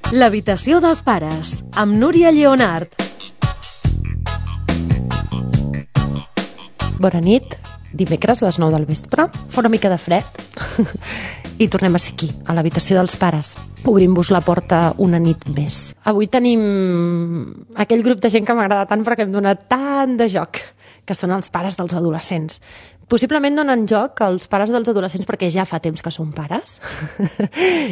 L'habitació dels pares, amb Núria Lleonart. Bona nit, dimecres a les 9 del vespre, fa una mica de fred i tornem a ser aquí, a l'habitació dels pares. Obrim-vos la porta una nit més. Avui tenim aquell grup de gent que m'agrada tant perquè em dona tant de joc, que són els pares dels adolescents. Possiblement donen joc als pares dels adolescents perquè ja fa temps que són pares.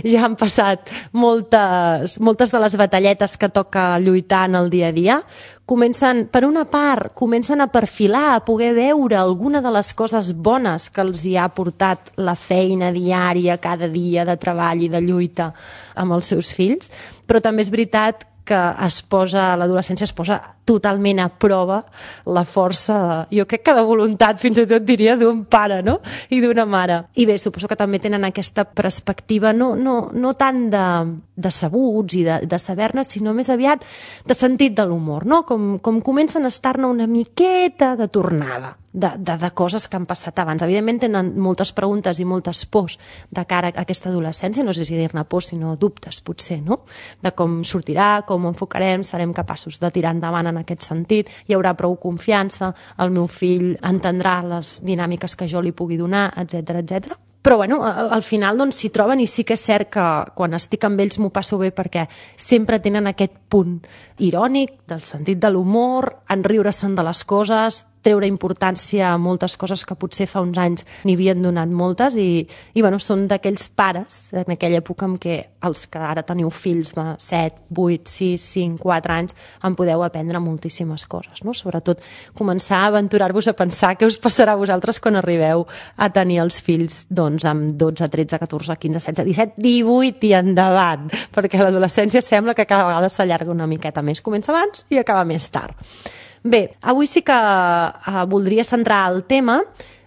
Ja han passat moltes de les batalletes que toca lluitar en el dia a dia. Per una part, comencen a perfilar, a poder veure alguna de les coses bones que els hi ha portat la feina diària, cada dia de treball i de lluita amb els seus fills. Però també és veritat que l'adolescència es posa totalment a prova la força, jo crec que de voluntat, fins i tot diria, d'un pare, no? I d'una mare. I bé, suposo que també tenen aquesta perspectiva no tant de sabuts i de saber-ne, sinó més aviat de sentit de l'humor, no? Com comencen a estar-ne una miqueta de tornada de coses que han passat abans. Evidentment tenen moltes preguntes i moltes pors de cara a aquesta adolescència, no sé si dir-ne pors, sinó dubtes, potser, no? De com sortirà, com ho enfocarem, serem capaços de tirar endavant en aquest sentit, hi haurà prou confiança, el meu fill entendrà les dinàmiques que jo li pugui donar, etc etc. Però bueno, al final doncs s'hi troben i sí que és cert que quan estic amb ells m'ho passo bé perquè sempre tenen aquest punt irònic, del sentit de l'humor, en riure-se'n de les coses, treure importància a moltes coses que potser fa uns anys n'hi havien donat moltes i bueno, són d'aquells pares en aquella època en què els que ara teniu fills de 7, 8, 6, 5, 4 anys en podeu aprendre moltíssimes coses, no? Sobretot començar a aventurar-vos a pensar què us passarà a vosaltres quan arribeu a tenir els fills doncs amb 12, 13, 14, 15, 16, 17, 18 i endavant, perquè l'adolescència sembla que cada vegada s'allarga una miqueta més, comença abans i acaba més tard. Bé, avui sí que voldria centrar el tema.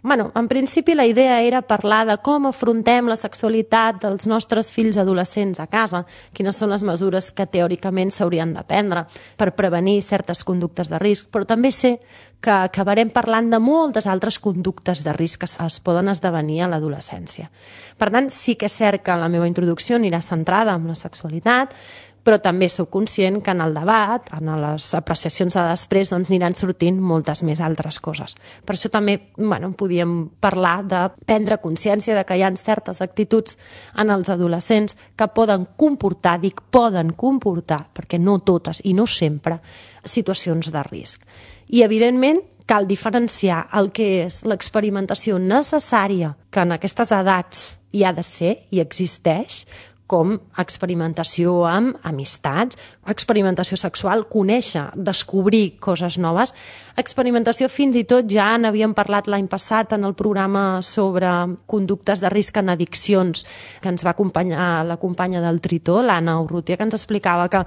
En principi la idea era parlar de com afrontem la sexualitat dels nostres fills adolescents a casa, quines són les mesures que teòricament s'haurien de prendre per prevenir certes conductes de risc, però també sé que acabarem parlant de moltes altres conductes de risc que es poden esdevenir a l'adolescència. Per tant, sí que és cert que la meva introducció anirà centrada en la sexualitat, però també sóc conscient que en el debat, en les apreciacions de després, doncs aniran sortint moltes més altres coses. Per això també podíem parlar de prendre consciència de que hi ha certes actituds en els adolescents que poden comportar, perquè no totes i no sempre, situacions de risc. I, evidentment, cal diferenciar el que és l'experimentació necessària que en aquestes edats hi ha de ser i existeix, com experimentació amb amistats, experimentació sexual, conèixer, descobrir coses noves, experimentació fins i tot, ja n'havíem parlat l'any passat en el programa sobre conductes de risc en addiccions, que ens va acompanyar la companya del Tritó, l'Anna Urrutia, que ens explicava que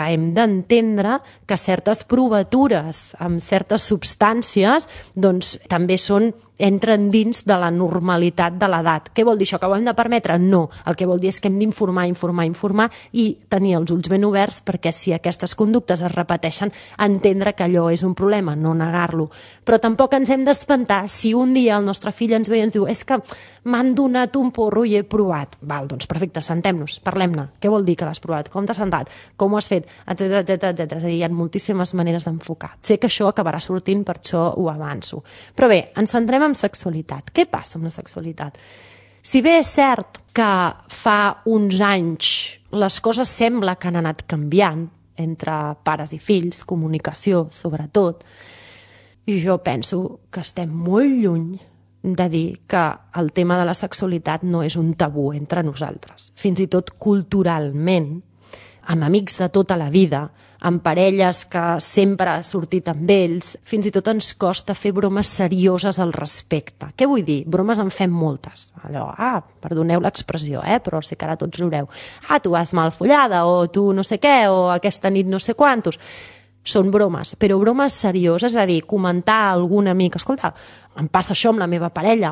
hem d'entendre que certes provatures amb certes substàncies doncs també entren dins de la normalitat de l'edat. Què vol dir això? Que ho hem de permetre? No. El que vol dir és que hem d'informar i tenir els ulls ben oberts perquè si aquestes conductes es repeteixen, entendre que allò és un problema, no negar-lo. Però tampoc ens hem d'espantar si un dia el nostre fill ens ve i ens diu és que m'han donat un porro i he provat. Val, doncs perfecte, sentem-nos, parlem-ne. Què vol dir que l'has provat? Com t'has sentat? Com ho has fet? Etcètera. És a dir, hi ha moltíssimes maneres d'enfocar. Sé que això acabarà sortint, per això ho avanço. Però bé, ens centrem en sexualitat. Què passa amb la sexualitat? Si bé és cert que fa uns anys les coses sembla que han anat canviant entre pares i fills, comunicació sobretot, i jo penso que estem molt lluny de dir que el tema de la sexualitat no és un tabú entre nosaltres. Fins i tot culturalment, amb amics de tota la vida, amb parelles que sempre ha sortit amb ells, fins i tot ens costa fer bromes serioses al respecte. Què vull dir? Bromes en fem moltes. Allò, perdoneu l'expressió, però sé que ara tots riureu. Tu vas mal follada, o tu no sé què, o aquesta nit no sé quantos. Són bromes, però bromes serioses, és a dir, comentar a algun amic, escolta, em passa això amb la meva parella,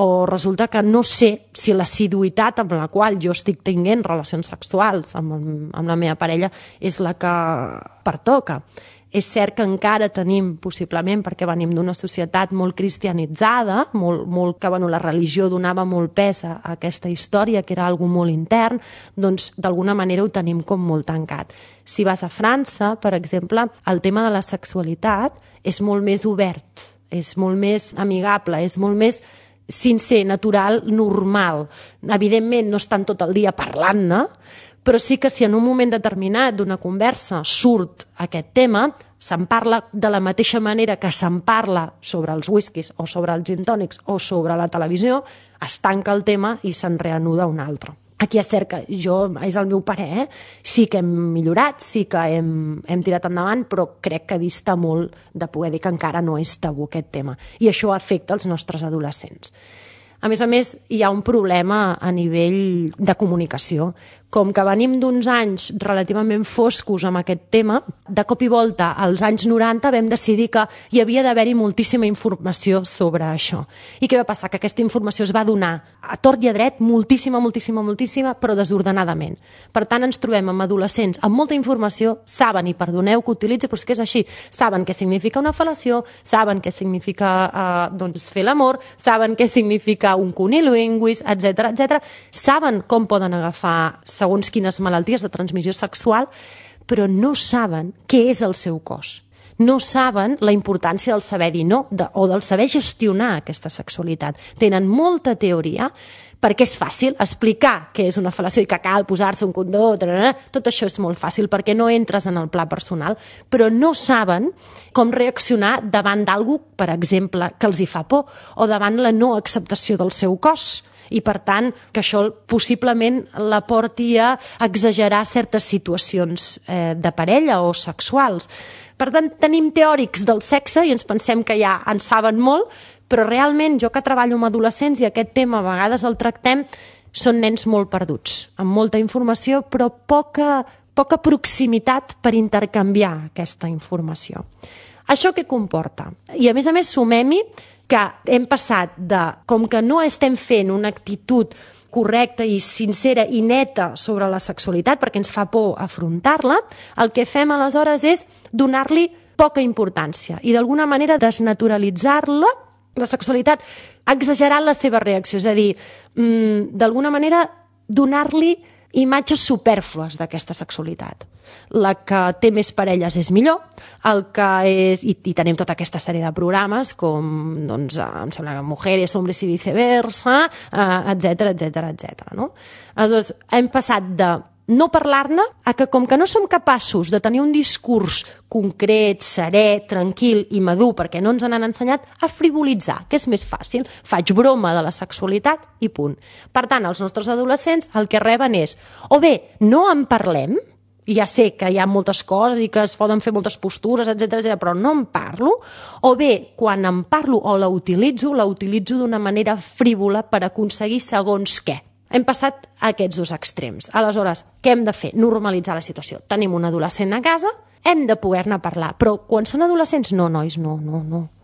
o resulta que no sé si l'assiduïtat amb la qual jo estic tenint relacions sexuals amb la meva parella és la que pertoca. És cert que encara tenim, possiblement, perquè venim d'una societat molt cristianitzada, molt que la religió donava molt pes a aquesta història, que era algo molt intern, doncs d'alguna manera ho tenim com molt tancat. Si vas a França, per exemple, el tema de la sexualitat és molt més obert, és molt més amigable, és molt més sincer, natural, normal. Evidentment, no estan tot el dia parlant-ne, però sí que si en un moment determinat d'una conversa surt aquest tema, se'n parla de la mateixa manera que se'n parla sobre els whiskies o sobre els gin tònics o sobre la televisió, es tanca el tema i se'n reanuda un altre. Aquí és cert que és el meu parer, sí que hem millorat, sí que hem tirat endavant, però crec que dista molt de poder dir que encara no és tabú aquest tema. I això afecta els nostres adolescents. A més, hi ha un problema a nivell de comunicació. Com que venim d'uns anys relativament foscos amb aquest tema, de cop i volta, als anys 90, vam decidir que hi havia d'haver-hi moltíssima informació sobre això. I què va passar? Que aquesta informació es va donar a tort i a dret, moltíssima, però desordenadament. Per tant, ens trobem amb adolescents amb molta informació, saben, i perdoneu que utilitzi, però és que és així, saben què significa una fel·lació, saben què significa fer l'amor, saben què significa un cunilinguis, etc. Saben com poden agafar segons quines malalties de transmissió sexual, però no saben què és el seu cos. No saben la importància del saber dir no o del saber gestionar aquesta sexualitat. Tenen molta teoria, perquè és fàcil explicar què és una fel·lació i que cal posar-se un condó, tot això és molt fàcil perquè no entres en el pla personal, però no saben com reaccionar davant d'algú, per exemple, que els hi fa por, o davant la no acceptació del seu cos. I, per tant, que això possiblement la porti a exagerar certes situacions de parella o sexuals. Per tant, tenim teòrics del sexe i ens pensem que ja en saben molt, però realment jo que treballo amb adolescents i aquest tema a vegades el tractem, són nens molt perduts, amb molta informació però poca proximitat per intercanviar aquesta informació. Això què comporta? I a més sumem-hi que hem passat de, com que no estem fent una actitud correcta i sincera i neta sobre la sexualitat perquè ens fa por afrontar-la, el que fem aleshores és donar-li poca importància i d'alguna manera desnaturalitzar-la, la sexualitat, exagerant la seva reacció, és a dir, d'alguna manera donar-li imatges supèrflues d'aquesta sexualitat. La que té més parelles és millor, el que és, i tenim tota aquesta sèrie de programes com, doncs, em sembla que Mujeres, Hombres i Viceversa, etc. No? Aleshores, hem passat de no parlar-ne a que, com que no som capaços de tenir un discurs concret, serè, tranquil i madur, perquè no ens han ensenyat, a frivolitzar, que és més fàcil. Faig broma de la sexualitat i punt. Per tant, els nostres adolescents el que reben és, o bé, no en parlem, i ja sé que hi ha moltes coses i que es poden fer moltes postures, etc, però no en parlo, o bé, quan en parlo o la utilitzo d'una manera frívola per aconseguir segons què. Hem passat a aquests dos extrems. Aleshores, què hem de fer? Normalitzar la situació. Tenim un adolescent a casa, hem de poder-ne parlar, però quan són adolescents, no, nois, no.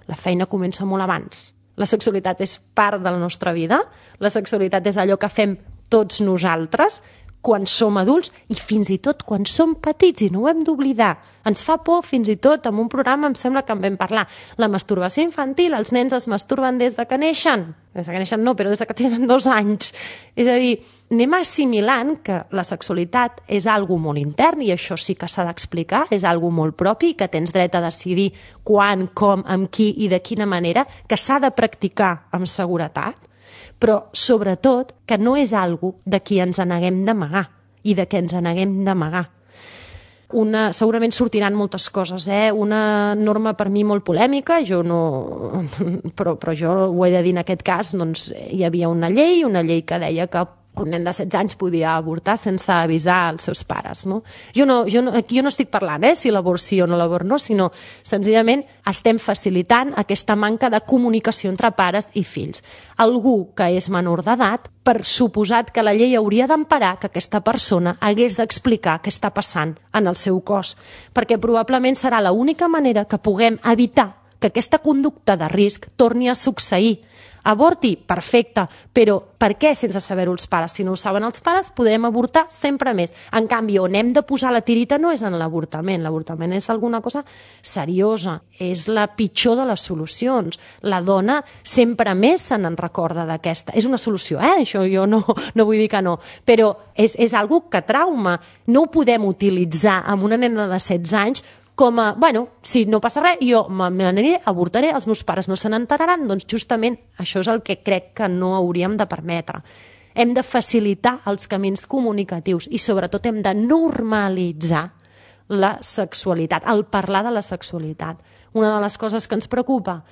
La feina comença molt abans. La sexualitat és part de la nostra vida, la sexualitat és allò que fem tots nosaltres, quan som adults i fins i tot quan som petits, i no ho hem d'oblidar. Ens fa por, fins i tot, en un programa em sembla que en vam parlar. La masturbació infantil, els nens es masturben des de que neixen. Des de que neixen no, però des de que tenen 2 anys. És a dir, anem assimilant que la sexualitat és algo molt intern, i això sí que s'ha d'explicar, és algo molt propi, que tens dret a decidir quan, com, amb qui i de quina manera, que s'ha de practicar amb seguretat, però sobretot que no és algo de qui ens neguem d'amagar i de què ens neguem d'amagar. Segurament sortiran moltes coses, una norma per mi molt polèmica, però jo ho he de dir en aquest cas, doncs hi havia una llei que deia que un nen de 16 anys podia avortar sense avisar els seus pares. No? Jo no estic parlant si l'abort sí o no l'abort no, sinó senzillament estem facilitant aquesta manca de comunicació entre pares i fills. Algú que és menor d'edat, per suposat que la llei hauria d'emparar que aquesta persona hagués d'explicar què està passant en el seu cos, perquè probablement serà l'única manera que puguem evitar que aquesta conducta de risc torni a succeir. Avorti, perfecte, però per què sense saber-ho els pares? Si no ho saben els pares, podrem avortar sempre més. En canvi, on hem de posar la tirita no és en l'avortament. L'avortament és alguna cosa seriosa, és la pitjor de les solucions. La dona sempre més se n'en recorda d'aquesta. És una solució, això jo no vull dir que no, però és algo que trauma. No ho podem utilitzar amb una nena de 16 anys com a, si no passa res, jo m'aniré, avortaré, els meus pares no se n'enteraran, doncs justament això és el que crec que no hauríem de permetre. Hem de facilitar els camins comunicatius i sobretot hem de normalitzar la sexualitat, el parlar de la sexualitat. Una de les coses que ens preocupa,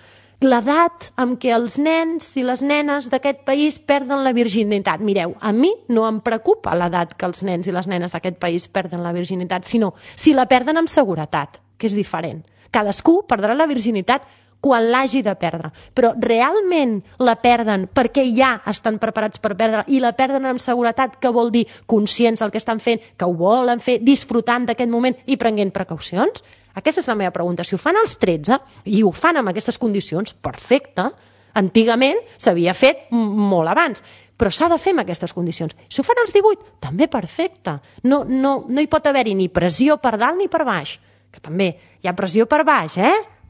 l'edat en què els nens i les nenes d'aquest país perden la virginitat. Mireu, a mi no em preocupa l'edat que els nens i les nenes d'aquest país perden la virginitat, sinó si la perden amb seguretat, que és diferent. Cadascú perdrà la virginitat quan l'hagi de perdre, però realment la perden perquè ja estan preparats per perdre i la perden amb seguretat, que vol dir conscients del que estan fent, que ho volen fer, disfrutant d'aquest moment i prenent precaucions? Aquesta és la meva pregunta. Si ho fan als 13 i ho fan amb aquestes condicions, perfecte. Antigament s'havia fet molt abans, però s'ha de fer amb aquestes condicions. Si ho fan als 18, també perfecte. No hi pot haver-hi ni pressió per dalt ni per baix, que també hi ha pressió per baix,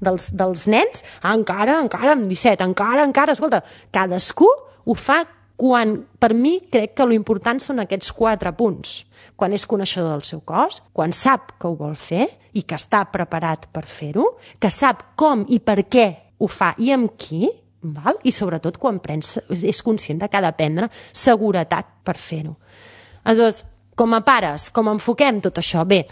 dels nens, encara amb 17, encara, escolta, cadascú ho fa quan, per mi, crec que l'important són aquests 4 punts. Quan és coneixedor del seu cos, quan sap que ho vol fer i que està preparat per fer-ho, que sap com i per què ho fa i amb qui, val? I sobretot quan és conscient que ha de prendre seguretat per fer-ho. Aleshores, com a pares, com enfoquem tot això? Bé,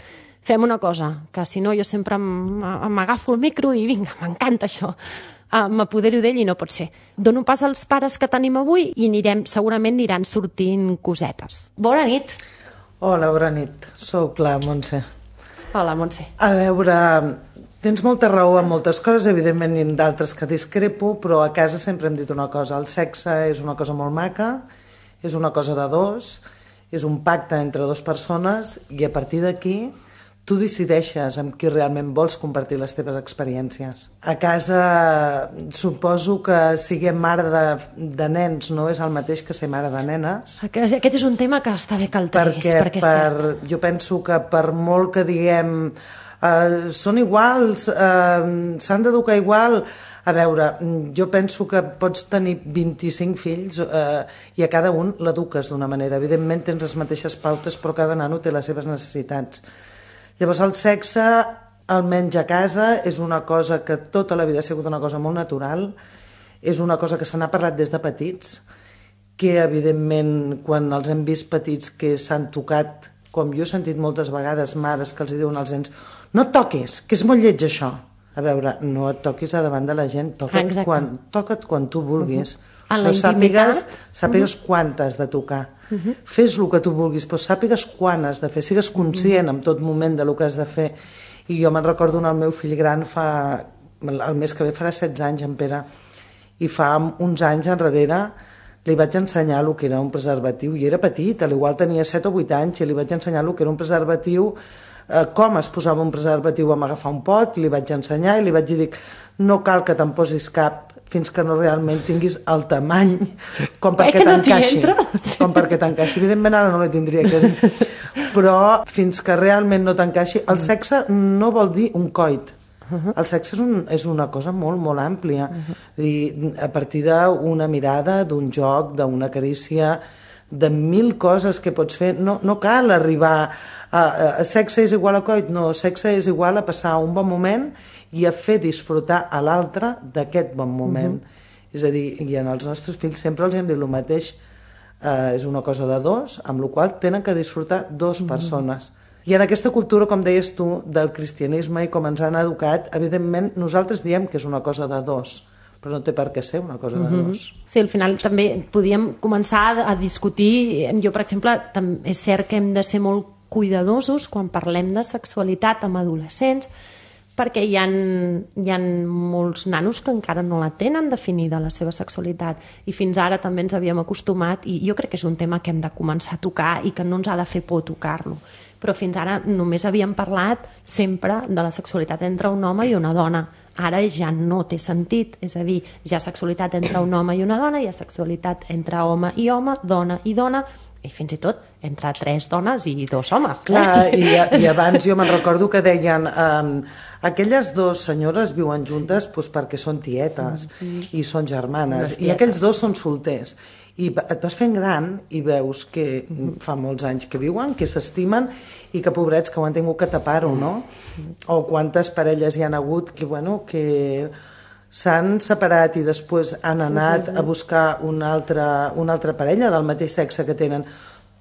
fem una cosa, que si no jo sempre m'agafo el micro i vinga, m'encanta això. M'apodero d'ell i no pot ser. Dono pas als pares que tenim avui i segurament aniran sortint cosetes. Bona nit. Hola, bona nit. Soc la Montse. Hola, Montse. A veure, tens molta raó en moltes coses, evidentment i en d'altres que discrepo, però a casa sempre hem dit una cosa. El sexe és una cosa molt maca, és una cosa de dos, és un pacte entre dues persones i a partir d'aquí tu decideixes amb qui realment vols compartir les teves experiències. A casa suposo que siguem mare de nens no és el mateix que ser mare de nenes. Aquest és un tema que està bé que el treguis, perquè és cert. Jo penso que per molt que diguem són iguals, s'han d'educar igual. A veure, jo penso que pots tenir 25 fills i a cada un l'eduques d'una manera. Evidentment tens les mateixes pautes, però cada nano té les seves necessitats. Llavors el sexe, almenys a casa, és una cosa que tota la vida ha sigut una cosa molt natural, és una cosa que se n'ha parlat des de petits, que evidentment quan els hem vist petits que s'han tocat, com jo he sentit moltes vegades mares que els diuen als nens, no et toquis, que és molt lleig això. A veure, no et toquis a davant de la gent, toca't quan tu vulguis. En la intimitat. Sàpigues quan t'has de tocar. Fes el que tu vulguis, però sàpigues quan has de fer, sigues conscient en tot moment de lo que has de fer. I jo me'n recordo el meu fill gran el mes que ve farà 16 anys, en Pere, i fa uns anys enrere li vaig ensenyar el que era un preservatiu, i era petit, igual tenia 7 o 8 anys, i li vaig ensenyar el que era un preservatiu, com es posava un preservatiu, vam agafar un pot, li vaig ensenyar i li vaig dir, no cal que te'n posis cap fins que no realment tinguis el tamany com perquè t'encaixi. Com perquè t'encaixi. Evidentment ara no li tindria que dir. Però fins que realment no t'encaixi, el sexe no vol dir un coit. El sexe és una cosa molt, molt àmplia. I a partir d'una mirada, d'un joc, d'una carícia, de 1000 coses que pots fer. No cal arribar a sexe és igual a coit, no, sexe és igual a passar un bon moment i a fer disfrutar a l'altre d'aquest bon moment. És a dir, i en els nostres fills sempre els hem dit el mateix, és una cosa de dos, amb la qual tenen que disfrutar dues persones. I en aquesta cultura, com deies tu, del cristianisme i com ens han educat, evidentment nosaltres diem que és una cosa de dos, però no té per què ser una cosa de dos. Sí, al final també podíem començar a discutir. Jo, per exemple, és cert que hem de ser molt cuidadosos quan parlem de sexualitat amb adolescents, perquè hi ha molts nanos que encara no la tenen definida, la seva sexualitat, i fins ara també ens havíem acostumat, i jo crec que és un tema que hem de començar a tocar i que no ens ha de fer por tocar-lo, però fins ara només havíem parlat sempre de la sexualitat entre un home i una dona. Ara ja no té sentit, és a dir, hi ha sexualitat entre un home i una dona, hi ha sexualitat entre home i home, dona i dona, i fins i tot entre 3 dones i 2 homes. Clar, i abans jo me'n recordo que deien aquelles 2 senyores viuen juntes perquè són tietes i són germanes, i aquells 2 són solters. I et vas fent gran i veus que fa molts anys que viuen, que s'estimen i que pobrets que ho han tingut que tapar-ho, no? O quantes parelles hi han hagut que, bueno, que s'han separat i després han anat a buscar una altra parella del mateix sexe que tenen.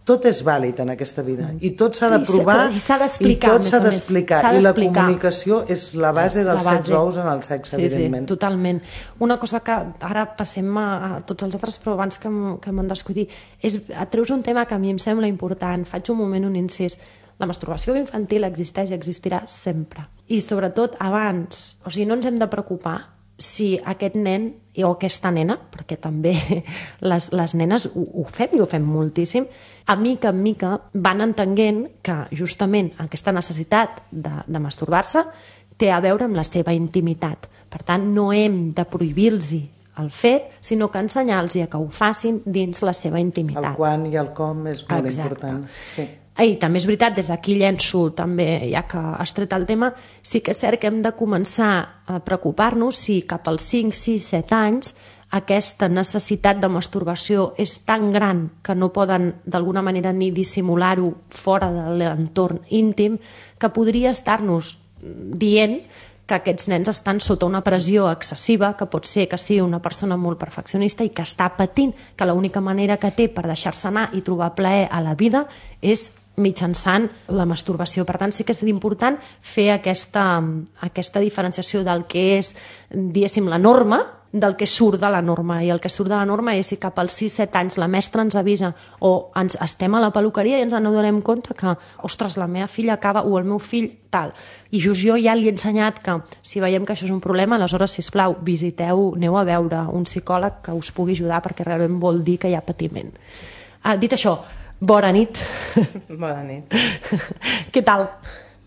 Tot és vàlid en aquesta vida i tot s'ha de provar i s'ha d'explicar, i tot s'ha d'explicar, i la comunicació és la base dels 7 ous en el sexe, evidentment. Sí, totalment. Una cosa que ara passem a tots els altres, però abans que me'n descuidi, és treus un tema que a mi em sembla important, faig un moment un incís. La masturbació infantil existeix i existirà sempre. I sobretot abans, o sigui, no ens hem de preocupar si aquest nen o aquesta nena, perquè també les nenes ho fem i ho fem moltíssim, a mica en mica van entenent que justament aquesta necessitat de masturbar-se té a veure amb la seva intimitat. Per tant, no hem de prohibir-los el fet, sinó que ensenyar-los que ho facin dins la seva intimitat. El quan i el com és molt important. Sí. I també és veritat, des d'aquí llenço també, ja que has tret el tema, sí que és cert que hem de començar a preocupar-nos si cap als 5, 6, 7 anys aquesta necessitat de masturbació és tan gran que no poden d'alguna manera ni dissimular-ho fora de l'entorn íntim, que podria estar-nos dient que aquests nens estan sota una pressió excessiva, que pot ser que sigui una persona molt perfeccionista i que està patint, que l'única manera que té per deixar-se anar i trobar plaer a la vida és mitjançant la masturbació. Per tant, sí que és important fer aquesta diferenciació del que és, diguéssim, la norma del que surt de la norma. I el que surt de la norma és si cap als 6-7 anys la mestra ens avisa o estem a la peluqueria i ens adonem compte que, ostres, la meva filla acaba o el meu fill tal. I just jo ja li he ensenyat que si veiem que això és un problema, aleshores, sisplau, aneu a veure un psicòleg que us pugui ajudar perquè realment vol dir que hi ha patiment. Dit això, bona nit. Bona nit. Què tal?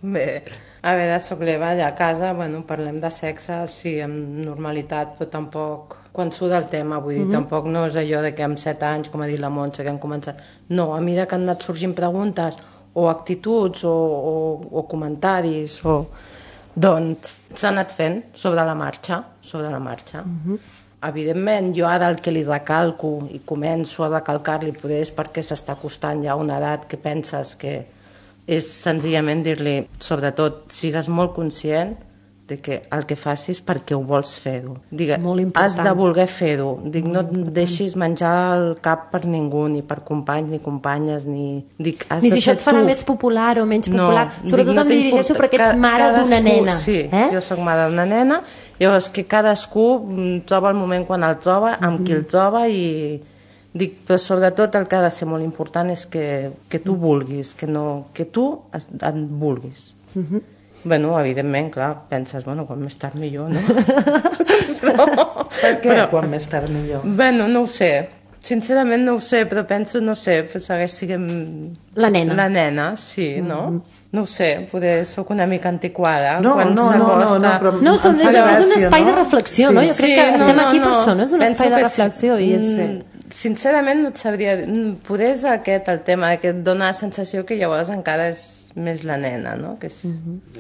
Bé, a veure, soc l'Eva, allà a casa, bueno, parlem de sexe, sí, amb normalitat, però tampoc quan surt del tema, vull dir, tampoc no és allò de que amb 7 anys, com ha dit la Montse, que hem començat. No, a mesura que han anat sorgint preguntes o actituds o comentaris, doncs s'ha anat fent sobre la marxa. Evidentment, jo ara el que li recalco i començo a recalcar-li poder és perquè s'està acostant ja a una edat que penses que és senzillament dir-li, sobretot, sigues molt conscient de que el que facis perquè ho vols fer-ho. Has de voler fer-ho. No et deixis menjar el cap per ningú, ni per companys ni companyes, ni si això et farà més popular o menys popular. Sobretot em dirigeixo perquè ets mare d'una nena. Sí, jo soc mare d'una nena, llavors que cadascú troba el moment quan el troba, amb qui el troba, i però sobretot el que ha de ser molt important és que tu vulguis, que tu et vulguis. Bueno, evidentment, clar, penses, bueno, quan més tard millor, no? Per què quan més tard millor? Bueno, no ho sé. Sincerament no ho sé, però penso, no sé, segueix sent... La nena. La nena, sí, no? No ho sé, poder soc una mica antiquada. No, és un espai de reflexió, no? Jo crec que estem aquí per això, no? És un espai de reflexió. Sincerament no et sabria... Poder és aquest el tema, que et dona la sensació que llavors encara és més la nena, no? Que és...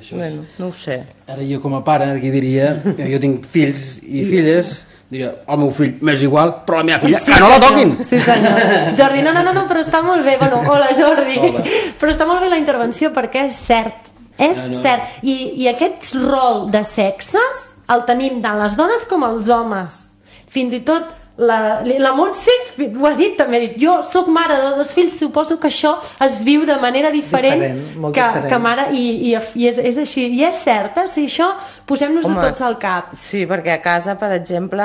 Bueno, no ho sé. Ara jo com a pare aquí diria, jo tinc fills i filles, diria, el meu fill m'és igual, però la meva filla, que no la toquin! Sí, senyor. Jordi, no, però està molt bé. Bueno, hola, Jordi. Hola. Però està molt bé la intervenció perquè és cert. És cert. I aquest rol de sexes el tenim tant les dones com els homes. Fins i tot la Montse ho ha dit també, jo soc mare de 2 fills, suposo que això es viu de manera diferent que mare, i és així, i és cert, o sigui, això posem-nos-ho tots al cap. Sí, perquè a casa, per exemple,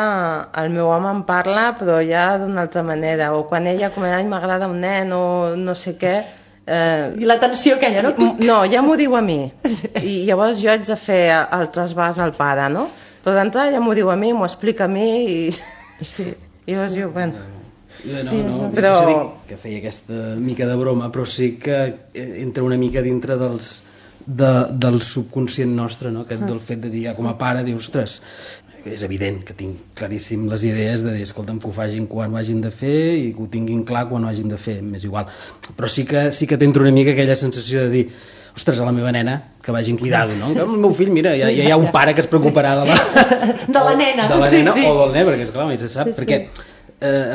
el meu home em parla, però ja d'una altra manera, o quan ella comenta, m'agrada un nen, o no sé què, i l'atenció que hi ha, no? No, ja m'ho diu a mi, i llavors jo haig de fer el trasbàs al pare, no? Però d'entrada ja m'ho diu a mi, m'ho explica a mi, i llavors jo, bueno... No, però... que feia aquesta mica de broma, però sí que entra una mica dintre dels del subconscient nostre, no? Aquest del fet de dir, com a pare, dius, ostres, és evident que tinc claríssim les idees de dir, escolta'm, que ho facin quan ho hagin de fer i que ho tinguin clar quan ho hagin de fer, m'és igual. Però sí que t'entra una mica aquella sensació de dir, ostres, a la meva nena, que vagin cuidado, no? El meu fill, mira, ja hi ha un pare que es preocuparà de la nena, o del nen, perquè esclar, mai se sap, perquè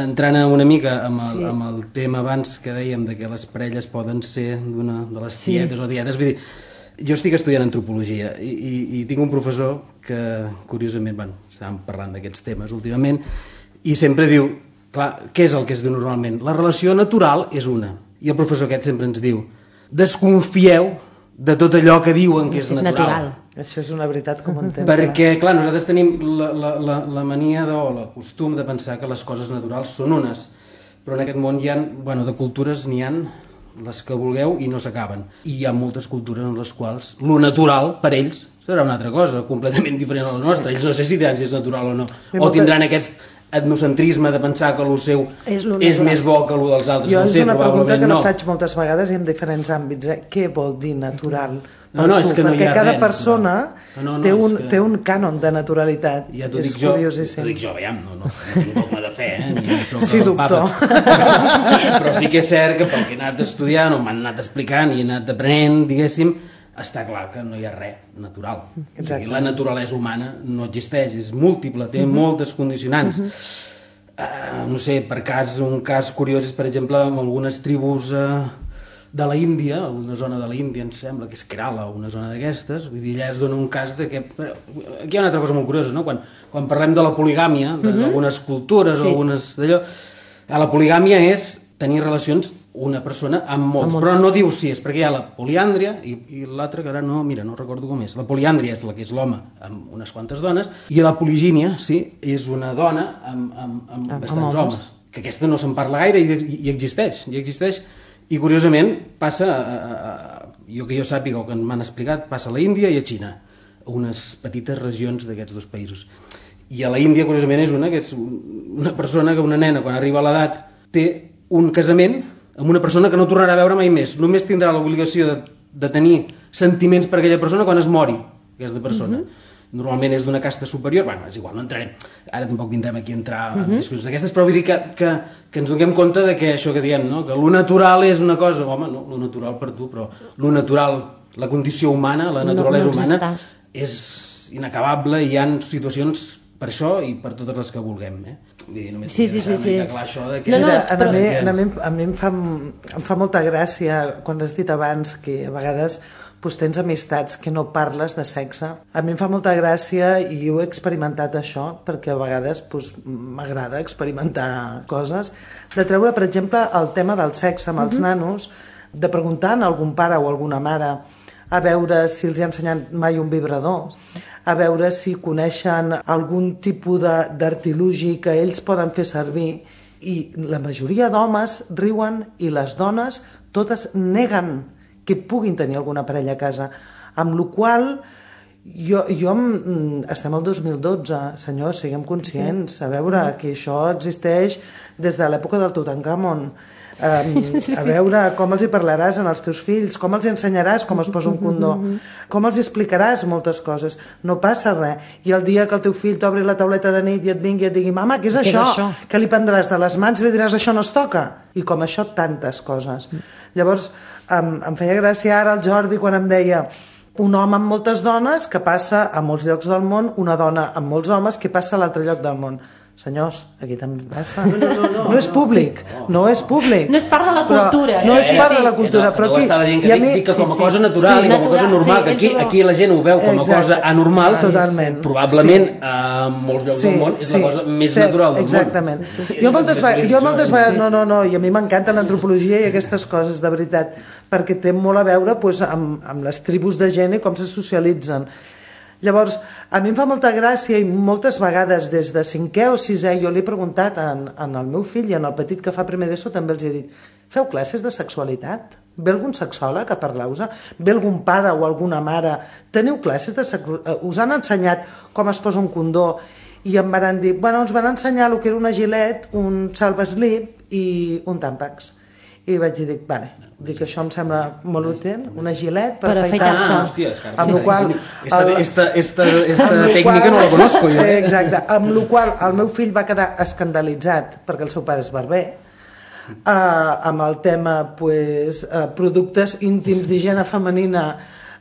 entrant una mica amb el tema abans que dèiem de que les parelles poden ser de les tietes o dietes, vull dir, jo estic estudiant antropologia i tinc un professor que, curiosament, estàvem parlant d'aquests temes últimament, i sempre diu, clar, què és el que es diu normalment? La relació natural és una, i el professor aquest sempre ens diu, desconfieu de tot allò que diuen que és natural. Això és una veritat com un temps. Perquè, clar, nosaltres tenim la mania o el costum de pensar que les coses naturals són unes, però en aquest món hi ha, de cultures n'hi ha les que vulgueu i no s'acaben. I hi ha moltes cultures en les quals lo natural, per ells, serà una altra cosa, completament diferent a la nostra. Ells no sé si diran si és natural o no. O tindran aquest etnocentrisme de pensar que lo seu és més bo que lo dels altres. Jo és una pregunta que no faig moltes vegades i en diferents àmbits. Què vol dir natural? Perquè cada persona té un cànon de naturalitat. Ja t'ho dic jo, veiem, no tinc dogma de fe, sí, doctor. Però sí que és cert que pel que he anat estudiant o m'han anat explicant i he anat aprenent, diguéssim, està clar que no hi ha res natural. O sigui, la naturalesa humana no existeix, és múltiple, té moltes condicionants. No sé, un cas curiós és, per exemple, amb algunes tribus de la Índia, una zona de la Índia, ens sembla que és Kerala, una zona d'aquestes, vull dir, allà es dona un cas de que... Aquí hi ha una altra cosa molt curiosa, no? Quan parlem de la poligàmia, d'algunes cultures o algunes d'allò, la poligàmia és tenir relacions una persona amb molts, però no diu si és, perquè hi ha la poliàndria i l'altra que ara no recordo com és. La poliàndria és la que és l'home amb unes quantes dones i la poligínia, sí, és una dona amb bastants homes, que aquesta no se'n parla gaire i existeix, i curiosament passa, que jo sàpiga o que m'han explicat, passa a la Índia i a Xina, unes petites regions d'aquests dos països. I a la Índia, curiosament, és una persona que una nena, quan arriba a l'edat, té un casament amb una persona que no tornarà a veure mai més. Només tindrà l'obligació de tenir sentiments per aquella persona quan es mori, aquesta persona. Normalment és d'una casta superior, és igual, no entrarem. Ara tampoc vindrem aquí a entrar en discussions d'aquestes, però vull dir que ens donem compte de que això que diem, no? Que lo natural és una cosa, home, no, lo natural per tu, però lo natural, la condició humana, la naturalesa humana, és inacabable i hi ha situacions per això i per totes les que vulguem, Sí. Clar, això de que... A mi em fa molta gràcia quan has dit abans que a vegades tens amistats que no parles de sexe. A mi em fa molta gràcia i ho he experimentat això, perquè a vegades m'agrada experimentar coses, de treure, per exemple, el tema del sexe amb els nanos, de preguntar a algun pare o alguna mare a veure si els ha ensenyat mai un vibrador, a veure si coneixen algun tipus d'artilugi que ells poden fer servir, i la majoria d'homes riuen i les dones totes neguen que puguin tenir alguna parella a casa, amb la qual estem al 2012, senyors, siguem conscients, a veure que això existeix des de l'època del Tutankamon. A veure com els hi parlaràs als teus fills, com els hi ensenyaràs com es posa un condó, com els hi explicaràs moltes coses. No passa res. I el dia que el teu fill t'obri la tauleta de nit i et vingui i et digui mama, què és això? Que li prendràs de les mans i li diràs això no es toca. I com això tantes coses. Llavors em feia gràcia ara el Jordi quan em deia un home amb moltes dones que passa a molts llocs del món, una dona amb molts homes que passa a l'altre lloc del món. Senyors, aquí també passa. No és públic, no és públic. No és part de la cultura. No és part de la cultura, però aquí... Estava dient que dic que com a cosa natural i com a cosa normal, que aquí la gent ho veu com a cosa anormal, probablement a molts llocs del món és la cosa més natural del món. Exactament. Jo moltes vegades, no, i a mi m'encanta l'antropologia i aquestes coses, de veritat, perquè té molt a veure amb les tribus de gent i com se socialitzen. Llavors, a mi em fa molta gràcia i moltes vegades des de 5è o 6è jo li he preguntat al meu fill i al petit que fa primer d'ESO també els he dit, feu classes de sexualitat? Ve algun sexòleg a parlar-vos? Ve algun pare o alguna mare? Teniu classes de sexualitat? Us han ensenyat com es posa un condó? I em van dir, ens van ensenyar el que era una gilet, un salvaslip i un Tampax. I vaig dir, dic, això em sembla molt útil, una gilet per afaitar-se. Hòstia, és que amb la qual esta tècnica no la conozco jo. Exacte, amb la qual el meu fill va quedar escandalitzat perquè el seu pare és barber, amb el tema productes íntims d'higiene femenina.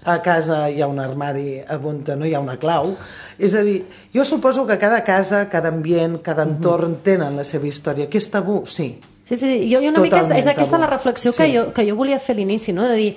A casa hi ha un armari on no hi ha una clau. És a dir, jo suposo que cada casa, cada ambient, cada entorn tenen la seva història. Que és tabú? Sí. Sí, jo una mica és aquesta la reflexió que jo volia fer a l'inici, no? De dir,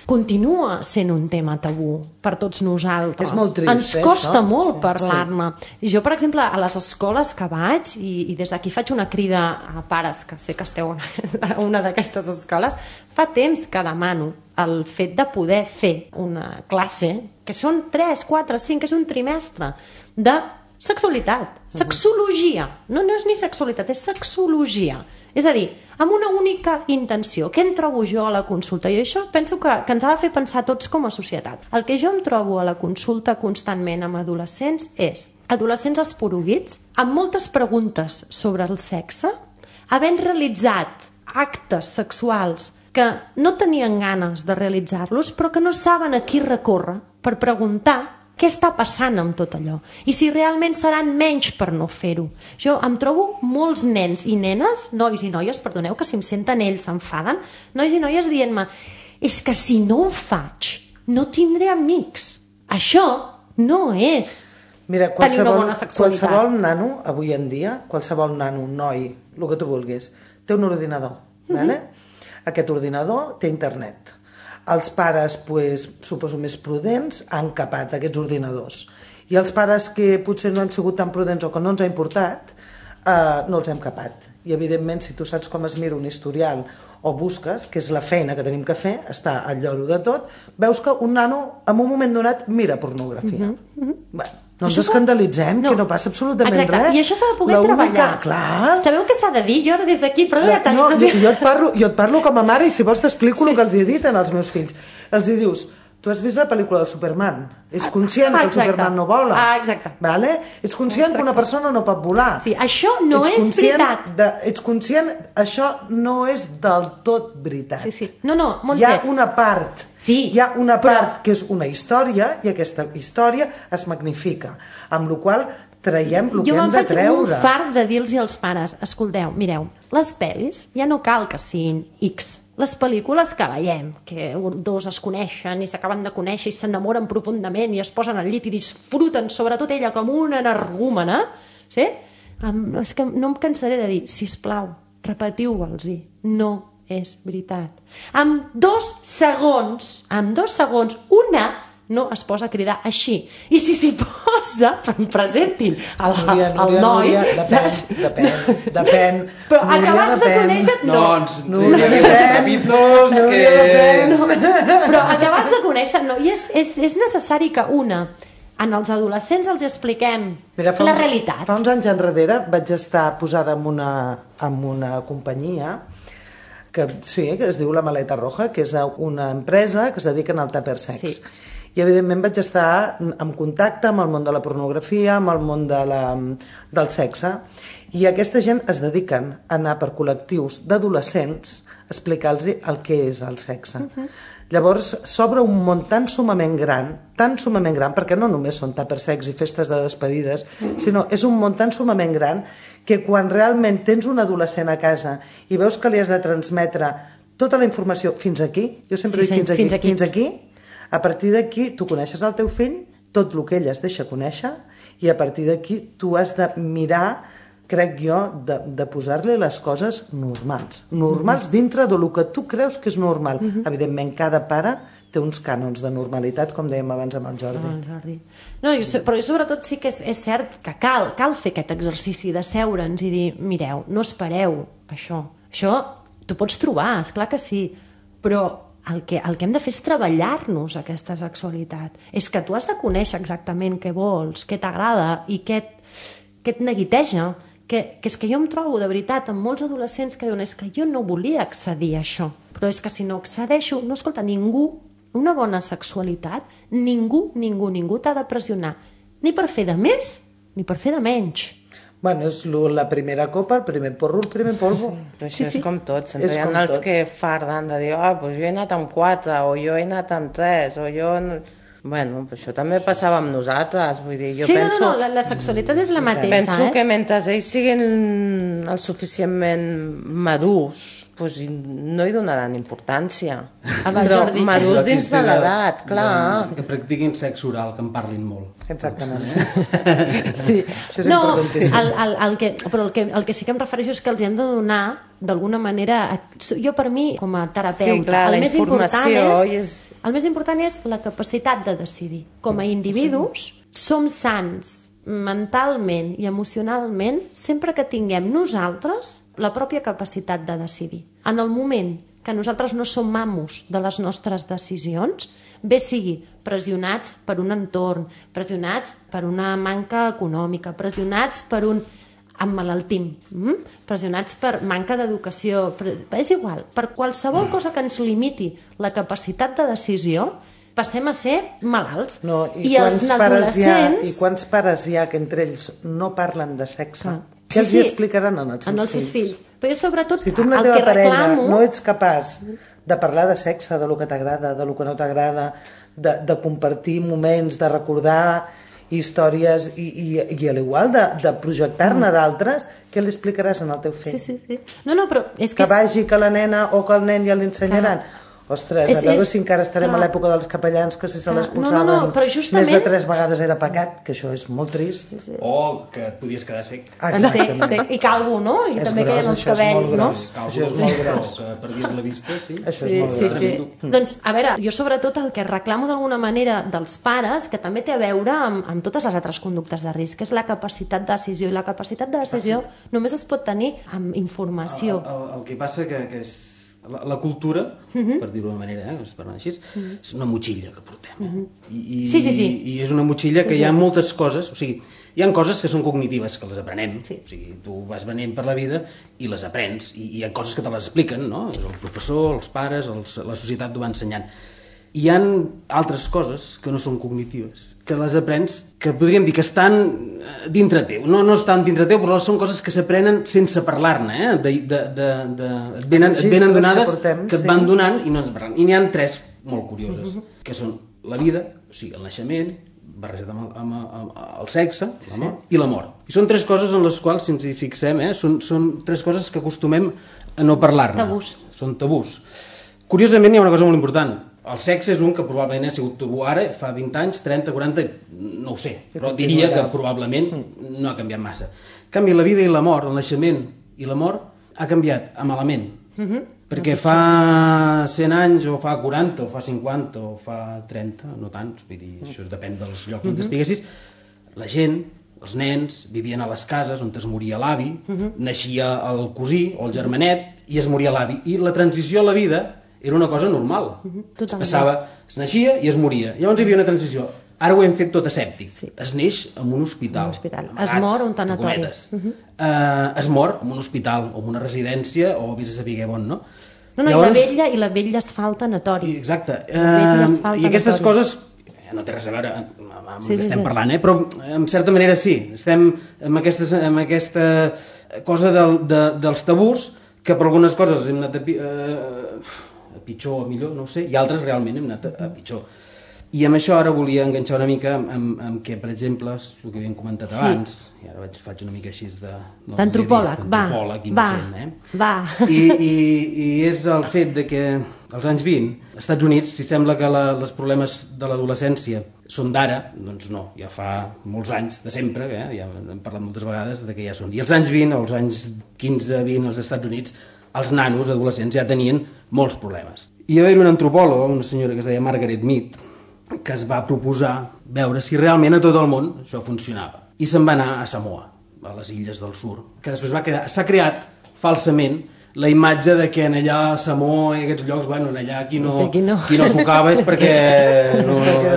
continua sent un tema tabú per tots nosaltres. És molt trist, ens costa això? molt parlar-ne. Jo, per exemple, a les escoles que vaig, i des d'aquí faig una crida a pares, que sé que esteu a una d'aquestes escoles, fa temps que demano el fet de poder fer una classe, que són 3, 4, 5, és un trimestre, de sexualitat, sexologia. No és ni sexualitat, és sexologia. És a dir, amb una única intenció. Què em trobo jo a la consulta? I això penso que ens ha de fer pensar tots com a societat. El que jo em trobo a la consulta constantment amb adolescents és adolescents esporuguits, amb moltes preguntes sobre el sexe, havent realitzat actes sexuals que no tenien ganes de realitzar-los, però que no saben a qui recórrer per preguntar què està passant amb tot allò i si realment seran menys per no fer-ho. Jo em trobo molts nens i nenes, nois i noies, perdoneu que si em senten ells s'enfaden, nois i noies dient-me, és que si no ho faig no tindré amics. Això no és tenir una bona sexualitat. Qualsevol nano, avui en dia, qualsevol nano, noi, el que tu vulguis, té un ordinador. Aquest ordinador té internet. Els pares, suposo més prudents, han capat aquests ordinadors. I els pares que potser no han sigut tan prudents o que no ens ha importat, no els hem capat. I evidentment, si tu saps com es mira un historial o busques, que és la feina que tenim que fer, està al lloro de tot, veus que un nano en un moment donat mira pornografia. Bé, no ens escandalitzem, que no passa absolutament res. I això s'ha de poder treballar. Clar. Sabeu què s'ha de dir? Jo ara des d'aquí, jo et parlo com a mare i si vols t'explico el que els he dit als meus fills. Els hi dius, tu has vist la pel·lícula del Superman? Ets conscient que el Superman no vola? Exacte. Ets conscient que una persona no pot volar? Sí, això no és veritat. Ets conscient, això no és del tot veritat. Sí. No, Montse. Hi ha una part, que és una història i aquesta història es magnifica, amb la qual traiem el que hem de treure. Jo me'n faig un fart de dir-los als pares, escolteu, mireu, les pel·lis ja no cal que siguin X. Les pel·lícules que veiem, que dos es coneixen i s'acaben de conèixer i s'enamoren profundament i es posen al llit i disfruten, sobretot ella, com una energúmena, sí? És que no em cansaré de dir, sisplau, repetiu-vos-hi, no és veritat. En 2 segons, una no es posa a cridar així. I si s'hi posa, presentin el noi... Depèn. Però acabats de conèixer... Núria, Però acabats de conèixer... I és necessari que en els adolescents els expliquem la realitat. Fa uns anys enrere vaig estar posada en una companyia que es diu La Maleta Roja, que és una empresa que es dedica al tupper sex. I evidentment vaig estar en contacte amb el món de la pornografia, amb el món del sexe, i aquesta gent es dediquen a anar per col·lectius d'adolescents a explicar-los el que és el sexe. Llavors s'obre un món tan sumament gran, perquè no només són tupper sex i festes de despedides, sinó és un món tan sumament gran que quan realment tens un adolescent a casa i veus que li has de transmetre tota la informació fins aquí, jo sempre dic fins aquí, a partir d'aquí tu coneixes el teu fill, tot el que ell es deixa conèixer, i a partir d'aquí tu has de mirar, crec jo, de posar-li les coses normals dintre del que tu creus que és normal. Evidentment, cada pare té uns cànons de normalitat, com dèiem abans amb el Jordi. Però sobretot sí que és cert que cal fer aquest exercici de seure'ns i dir, mireu, no espereu això. Això t'ho pots trobar, esclar que sí, però el que hem de fer és treballar-nos aquesta sexualitat. És que tu has de conèixer exactament què vols, què t'agrada i què et neguiteja. Que és que jo em trobo de veritat amb molts adolescents que diuen és que jo no volia accedir a això, però és que si no accedeixo, no, escolta, ningú, una bona sexualitat, ningú t'ha de pressionar, ni per fer de més ni per fer de menys. Bueno, és la primera copa, el primer porro, el primer polvo. Però això és com tot, sempre És hi ha com els tot. que farden de dir pues jo he anat amb 4, o jo he anat amb 3, o jo... Bueno, però això també passava amb nosaltres, vull dir, jo Sí, penso... no, la sexualitat és la mateixa, Penso que mentre ells siguin el suficientment madurs, doncs no hi donaran importància. Va, Però Jordi. madurs dins de l'edat, clar. Que practiquin sexe oral, que en parlin molt. Exactament. Sí. Això és No, importantíssim. però el que sí que em refereixo és que els hem de donar, d'alguna manera, jo per mi, com a terapeuta, Sí, clar, la informació el més important és la capacitat de decidir. Com a individus, som sants mentalment i emocionalment sempre que tinguem nosaltres la pròpia capacitat de decidir. En el moment que nosaltres no som amos de les nostres decisions, bé sigui pressionats per un entorn, pressionats per una manca econòmica, pressionats per un emmalaltim, pressionats per manca d'educació, és igual, per qualsevol cosa que ens limiti la capacitat de decisió, passem a ser malalts. No, I els adolescents... I quants pares hi ha que entre ells no parlen de sexe? Sí, Què els hi explicaran als seus fills? Però jo sobretot Si tu amb la el teva que parella reclamo... no ets capaç de parlar de sexe, de lo que t'agrada, de lo que no t'agrada, de compartir moments, de recordar històries i a l'igual de projectar-ne d'altres, què li explicaràs al teu fill? Sí. No, però és que... Que vagi que la nena o que el nen ja li ensenyaran? Ostres, a veure si encara estarem a l'època dels capellans que si se l'expulsaven justament... més de 3 vegades era pecat, que això és molt trist. O que et podies quedar sec. Sec i calvo, no? I també queden els cabells, no? Això és molt gros. O que perdies la vista, sí. Això és molt gros. Sí. Doncs, a veure, jo sobretot el que reclamo d'alguna manera dels pares, que també té a veure amb totes les altres conductes de risc, és la capacitat de decisió. I la capacitat de decisió només es pot tenir amb informació. El que passa que és la cultura, per dir-ho d'una manera, es parla així, és una motxilla que portem. I és una motxilla que hi ha moltes coses, o sigui, hi ha coses que són cognitives, que les aprenem, o sigui, tu vas venint per la vida i les aprens, i hi ha coses que te les expliquen, no? El professor, els pares, la societat t'ho va ensenyant. Hi ha altres coses que no són cognitives, que les aprens, que podríem dir que estan dintre teu. No estan dintre teu, però són coses que s'aprenen sense parlar-ne, et venen donades, que et van donant i no ens parlen. I n'hi ha 3 molt curioses, que són la vida, o sigui, el naixement, barrejat amb el sexe, i la mort. I són 3 coses en les quals, si ens hi fixem, són 3 coses que acostumem a no parlar-ne. Tabús. Són tabús. Curiosament, hi ha una cosa molt important. El sexe és un que probablement ha sigut tabú ara, fa 20 anys, 30, 40, no ho sé, però diria que probablement no ha canviat massa. En canvi, la vida i la mort, el naixement i la mort, ha canviat a malament. Perquè fa 100 anys, o fa 40, o fa 50, o fa 30, no tants, vull dir, això depèn dels llocs on estiguessis, la gent, els nens, vivien a les cases on es moria l'avi, naixia el cosí o el germanet i es moria l'avi. I la transició a la vida era una cosa normal. Es passava, es naixia i es moria. Llavors hi havia una transició. Ara ho hem fet tot asèptic. Es neix en un hospital. Es mor a un tanatori. Es mor en un hospital o en una residència o vés a saber on, no? Llavors, i la vella es fa al tanatori. Exacte. I aquestes coses no té res a veure amb el que estem parlant, però en certa manera sí. Estem amb aquesta cosa dels tabús, que per algunes coses hem anat a pitjor o millor, no ho sé, i altres realment hem anat a pitjor. I amb això ara volia enganxar una mica amb que, per exemple, el que havíem comentat abans, i ara faig una mica així d'antropòleg, va. I és el fet de que als anys 20, als Estats Units, si sembla que els problemes de l'adolescència són d'ara, doncs no, ja fa molts anys, de sempre, ja hem parlat moltes vegades de que ja són. I als anys 20, als anys 15-20 als Estats Units, els nanos adolescents ja tenien molts problemes. I va haver una antropòloga, una senyora que es deia Margaret Mead, que es va proposar veure si realment a tot el món això funcionava. I se'n va anar a Samoa, a les illes del Sur, que després s'ha creat falsament la imatge de que en allà a Samoa i aquests llocs, bueno, en allà qui no sucava és perquè...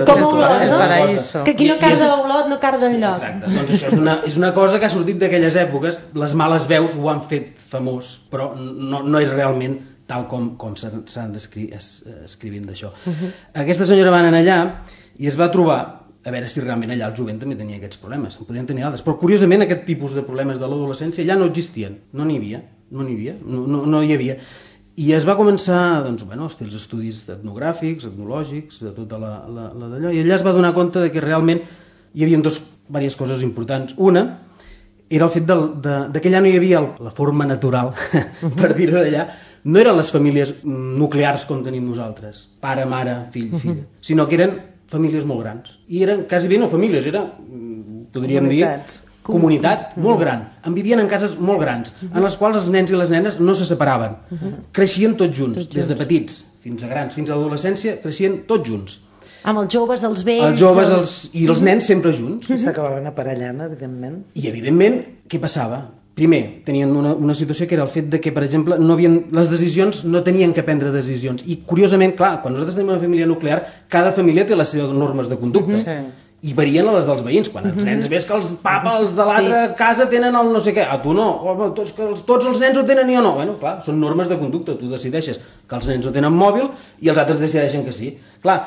Com Olot, no? Que qui no carda Olot no carda enlloc. Exacte, doncs això és una cosa que ha sortit d'aquelles èpoques, les males veus ho han fet famós, però no és realment tal com s'han escrivint d'això. Aquesta senyora va anar allà i es va trobar a veure si realment allà el jovent també tenia aquests problemes. En podien tenir altres. Però, curiosament, aquest tipus de problemes de l'adolescència allà no existien. No n'hi havia. No hi havia. I es va començar doncs, a fer els estudis etnogràfics, etnològics, de tota la d'allò, i allà es va donar compte de que realment hi havia diverses coses importants. Una era el fet que allà no hi havia la forma natural, per dir-ho d'allà, no eren les famílies nuclears com tenim nosaltres, pare, mare, fill, filla, sinó que eren famílies molt grans. I eren quasi bé no famílies, podríem dir, comunitat molt gran. En vivien en cases molt grans, en les quals els nens i les nenes no se separaven. Creixien tots junts, des de petits fins a grans, fins a l'adolescència, creixien tots junts. Amb els joves, els vells... Els joves i els nens sempre junts. I s'acabaven aparellant, evidentment. I, evidentment, què passava? Primer, tenien una situació que era el fet de que, per exemple, les decisions no tenien que prendre decisions. I, curiosament, clar, quan nosaltres tenim una família nuclear, cada família té les seves normes de conducta. I varien a les dels veïns. Quan els nens ves que els papas de l'altra casa tenen el no sé què, a tu no, tots els nens ho tenen i jo no. Bueno, clar, són normes de conducta, tu decideixes que els nens ho tenen mòbil i els altres decideixen que sí. Clar,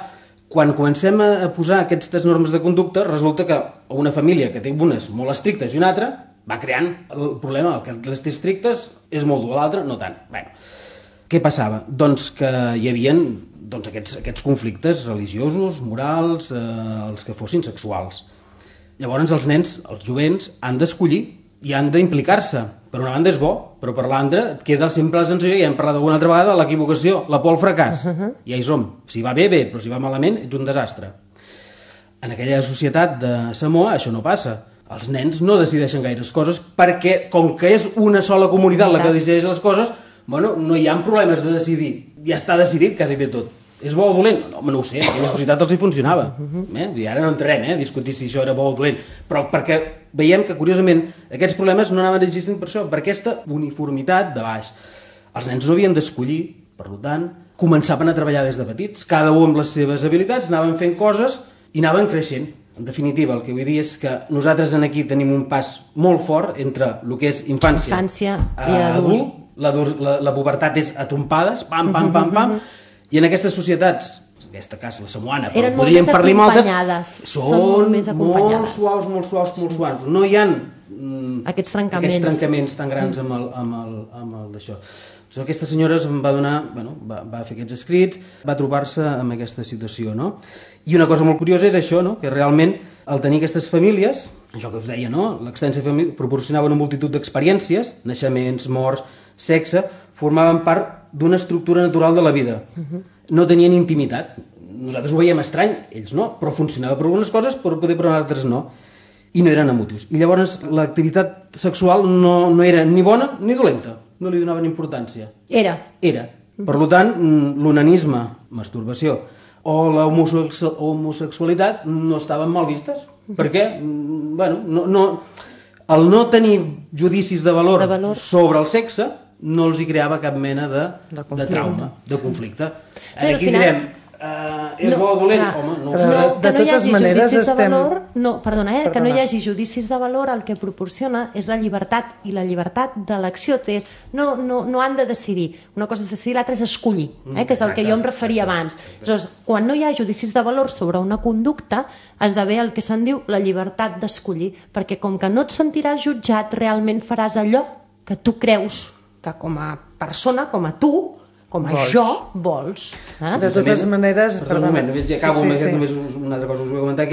quan comencem a posar aquestes normes de conducta, resulta que una família que té unes molt estrictes i una altra va creant el problema, que les té estrictes és molt dur, l'altre no tant. Bueno, què passava? Doncs que hi havia aquests conflictes religiosos, morals, els que fossin sexuals. Llavors els nens, els jovents, han d'escollir i han d'implicar-se. Per una banda és bo, però per l'altra et queda sempre la sensació, ja hem parlat alguna altra vegada, l'equivocació, la por al fracàs. Ja hi som. Si va bé, bé, però si va malament, ets un desastre. En aquella societat de Samoa això no passa. Els nens no decideixen gaires coses perquè, com que és una sola comunitat la que decideix les coses, no hi ha problemes de decidir. Ja està decidit quasi bé tot. És bo o dolent? No ho sé, en aquella societat els hi funcionava. I ara no entrarem a discutir si això era bo o dolent, però perquè veiem que, curiosament, aquests problemes no anaven existint per això, per aquesta uniformitat de baix. Els nens no havien d'escollir, per tant, començaven a treballar des de petits, cada un amb les seves habilitats, anaven fent coses i anaven creixent. En definitiva, el que vull dir és que nosaltres aquí tenim un pas molt fort entre el que és infància i adult. La pubertat és a trompades, pam, pam, pam, pam, i en aquestes societats, en aquest cas la samoana, però podríem parlar moltes, són molt suaus, no hi ha aquests trencaments tan grans amb el d'això. Aquesta senyora va fer aquests escrits, va trobar-se amb aquesta situació, no? I una cosa molt curiosa és això, no? Que realment al tenir aquestes famílies, això que us deia, no? L'extensa família proporcionava una multitud d'experiències, naixements, morts, sexe, formaven part d'una estructura natural de la vida. No tenien intimitat. Nosaltres ho veiem estrany, ells no, però funcionava per algunes coses, però poder per altres no. I no eren emotius. I llavors l'activitat sexual no era ni bona ni dolenta. No li donaven importància. Era. Per tant, l'onanisme, masturbació, o la homosexualitat no estaven mal vistes. Perquè, el no tenir judicis de valor sobre el sexe no els hi creava cap mena de trauma, de conflicte. Aquí direm, és bo o dolent? Home, no. De totes maneres estem... Que no hi hagi judicis de valor, el que proporciona és la llibertat, i la llibertat d'elecció. No han de decidir. Una cosa és decidir, l'altra és escollir, que és el que jo em referia abans. Llavors, quan no hi ha judicis de valor sobre una conducta, esdevé el que se'n diu la llibertat d'escollir, perquè com que no et sentiràs jutjat, realment faràs allò que tu creus que com a persona, com a tu, com a jo, vols. De totes maneres... Perdó, un moment, ja acabo amb només una altra cosa us vull comentar,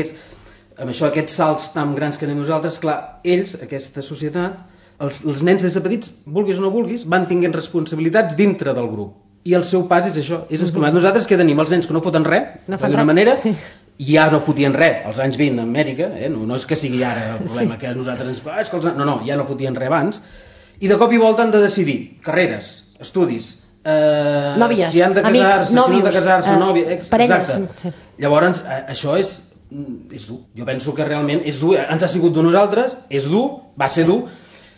amb això, aquests salts tan grans que anem nosaltres, clar, ells, aquesta societat, els nens des de petits, vulguis o no vulguis, van tinguent responsabilitats dintre del grup. I el seu pas és això, és escolat. Nosaltres que tenim els nens que no foten res, d'una manera, ja no fotien res als anys 20 a Amèrica, no és que sigui ara el problema que nosaltres ens... No, ja no fotien res abans, i de cop i volta han de decidir carreres, estudis, nòvies, si han de casar-se, nòvios, si no han de casar-se, nòvies... parelles. Exacte. Llavors, això és dur. Jo penso que realment és dur. Ens ha sigut dur nosaltres, és dur, va ser dur.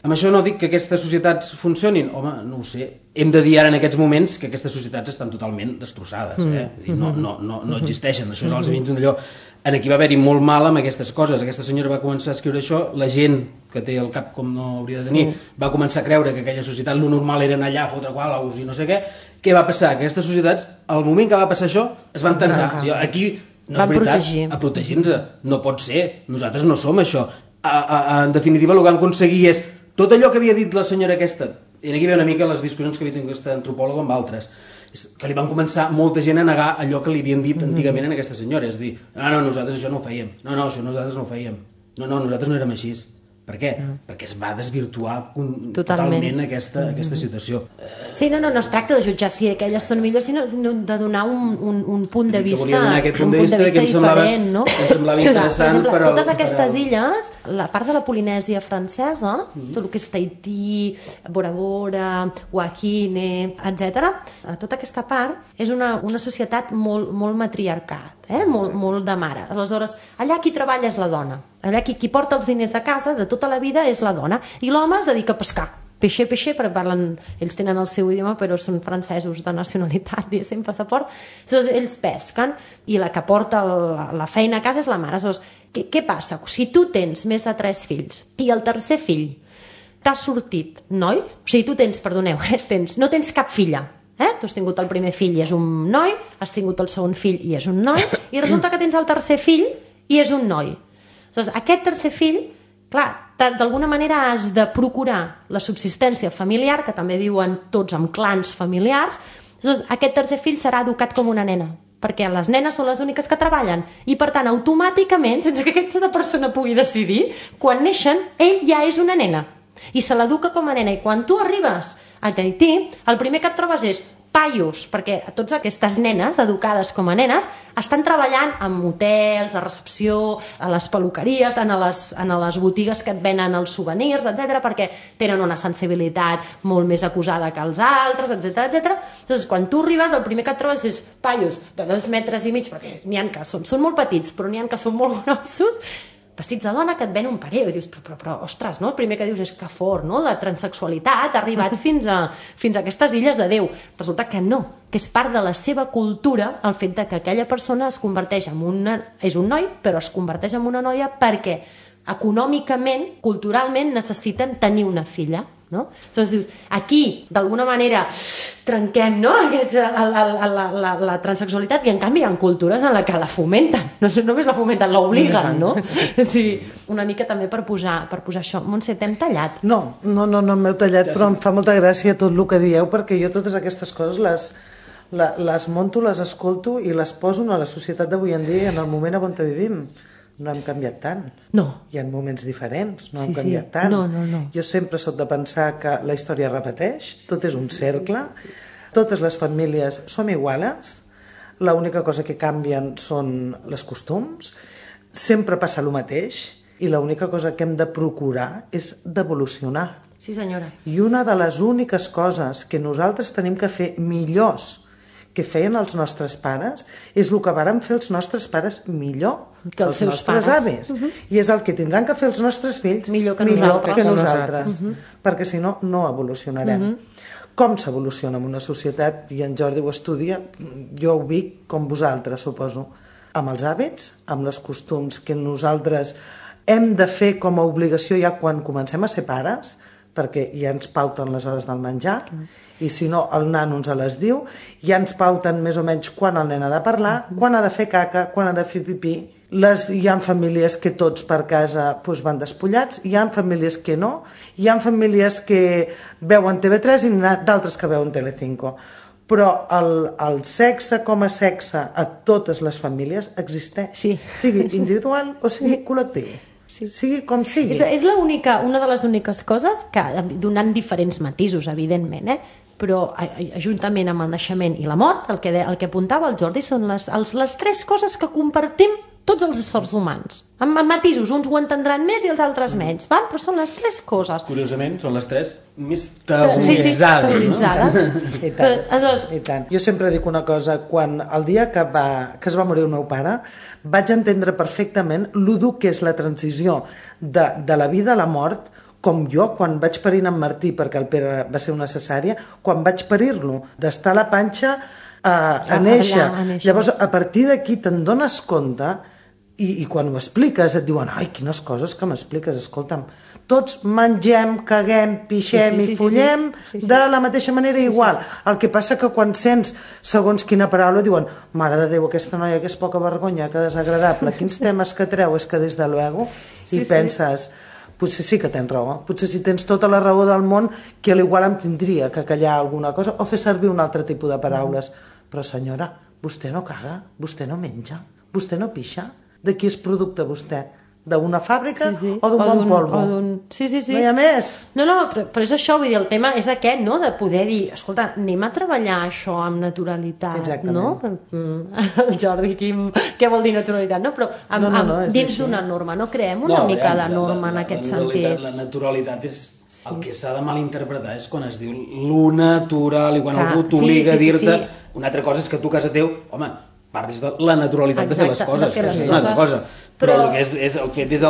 Amb això no dic que aquestes societats funcionin. Home, no ho sé. Hem de dir ara en aquests moments que aquestes societats estan totalment destrossades. No existeixen. Això és els veïns d'allò. Aquí va haver-hi molt mal amb aquestes coses. Aquesta senyora va començar a escriure això, la gent que té el cap com no hauria de tenir va començar a creure que aquella societat lo normal era anar allà a fotre qualaus i no sé què. Què va passar? Aquestes societats, al moment que va passar això, es van tancar. Aquí No és veritat, a protegir-nos. No pot ser. Nosaltres no som això. En definitiva, el que vam aconseguir és tot allò que havia dit la senyora aquesta, i aquí ve una mica les discussions que havia tingut aquesta antropòloga amb altres, que li van començar molta gent a negar allò que li havien dit antigament a aquesta senyora, és dir, no, nosaltres això no ho fèiem, no, això nosaltres no ho fèiem, no, nosaltres no érem així. Per què? Perquè es va desvirtuar totalment aquesta situació. Sí, no es tracta de jutjar si aquelles són millors, sinó de donar un punt de vista diferent, no? Que em semblava interessant. Per exemple, totes aquestes illes, la part de la Polinèsia francesa, tot el que és Tahití, Bora Bora, Wakine, etc., tota aquesta part és una societat molt matriarcat, molt de mare. Aleshores, allà qui treballa és la dona. Allà qui porta els diners de casa de tota la vida és la dona, i l'home es dedica a pescar. Peixe, perquè ells tenen el seu idioma, però són francesos de nacionalitat, diguéssim, passaport. Aleshores, ells pesquen, i la que porta la feina a casa és la mare. Aleshores, què passa? Si tu tens més de 3 fills, i el tercer fill t'ha sortit noi, o sigui, tu tens, perdoneu, no tens cap filla, tu has tingut el primer fill i és un noi, has tingut el segon fill i és un noi, i resulta que tens el tercer fill i és un noi. Aleshores, aquest tercer fill, clar, d'alguna manera has de procurar la subsistència familiar, que també viuen tots en clans familiars. Aleshores, aquest tercer fill serà educat com una nena, perquè les nenes són les úniques que treballen, i per tant, automàticament, sense que aquesta persona pugui decidir, quan neixen, ell ja és una nena, i se l'educa com a nena, i quan tu arribes a Tahití, el primer que et trobes és paios, perquè totes aquestes nenes, educades com a nenes, estan treballant en hotels, a recepció, a les peluqueries, en les botigues que et venen els souvenirs, etc, perquè tenen una sensibilitat molt més acusada que els altres, etc. Llavors, quan tu arribes, el primer que et trobes és paios de 2 metres i mig, perquè n'hi ha que són molt petits, però n'hi ha que són molt grossos, vestits de dona, que et ven un pareo, i dius, però ostres, no? El primer que dius és que fort, no? La transexualitat ha arribat fins a aquestes illes de Déu. Resulta que no, que és part de la seva cultura el fet que aquella persona es converteix és un noi, però es converteix en una noia perquè econòmicament, culturalment, necessiten tenir una filla, no? Llavors dius, aquí, d'alguna manera, trenquem, no?, la transexualitat, i en canvi hi ha cultures en què la fomenten, no només la fomenten, l'obliguen, no? Sí, una mica també per posar això. Montse, t'hem tallat? No m'heu tallat, però em fa molta gràcia tot el que dieu, perquè jo totes aquestes coses les monto, les escolto i les poso a la societat d'avui en dia, en el moment on vivim. No hem canviat tant. No. Hi ha moments diferents, no hem canviat tant. No. Jo sempre soc de pensar que la història repeteix, tot és un cercle, totes les famílies som iguales, l'única cosa que canvien són els costums, sempre passa el mateix, i l'única cosa que hem de procurar és d'evolucionar. Sí, senyora. I una de les úniques coses que nosaltres tenim que fer millors que feien els nostres pares és el que varen fer els nostres pares millor que els seus nostres avis. I és el que tindran que fer els nostres fills millor que nosaltres. Perquè si no, no evolucionarem. Com s'evoluciona en una societat, i en Jordi ho estudia, jo ho dic com vosaltres, suposo, amb els hàbits, amb els costums que nosaltres hem de fer com a obligació ja quan comencem a ser pares, perquè ja ens pauten les hores del menjar, i si no el nano ens les diu, ja ens pauten més o menys quan el nen ha de parlar, quan ha de fer caca, quan ha de fer pipí. Hi ha famílies que tots per casa van despullats, hi ha famílies que no, hi ha famílies que veuen TV3 i d'altres que veuen Telecinco. Però el sexe com a sexe a totes les famílies existeix, sigui individual o sigui col·lectiu. Sigui com sigui. És una de les úniques coses que, donant diferents matisos, evidentment, però juntament amb el naixement i la mort, el que apuntava el Jordi, són les 3 coses que compartim tots els éssers humans. Amb matisos, uns ho entendran més i els altres menys, però són les 3 coses. Curiosament, són les 3 més tabuitzades. I tant. Jo sempre dic una cosa, quan el dia que es va morir el meu pare, vaig entendre perfectament lo dur que és la transició de la vida a la mort, com jo, quan vaig parir en Martí, perquè el Pere va ser una cesària, quan vaig parir-lo, d'estar a la panxa a néixer. Llavors, a partir d'aquí te'n dones compte, i quan ho expliques et diuen, ai, quines coses que m'expliques, escolta'm, tots mengem, caguem, pixem i follem de la mateixa manera igual. El que passa que quan sents segons quina paraula diuen mare de Déu, aquesta noia que és poca vergonya, que desagradable, quins temes que treu, és que des de luego, i penses potser sí que tens raó, potser si tens tota la raó del món, que a l'igual em tindria que callar alguna cosa o fer servir un altre tipus de paraules. Però senyora, vostè no caga, vostè no menja, vostè no pixa. De qui és producte vostè? D'una fàbrica o d'un bon polvo? Sí. No hi ha més. No, però és això, vull dir, el tema és aquest, no?, de poder dir, escolta, anem a treballar això amb naturalitat. Exactament. No? El Jordi, què vol dir naturalitat? No, però dins d'una norma, no creem una mica de norma en aquest sentit. La naturalitat és... El que s'ha de malinterpretar és quan es diu lo natural i quan algú t'obliga a dir-te... Una altra cosa és que tu a casa teu, home, parlis de la naturalitat de fer les coses, que és una altra cosa. Però el que és el fet és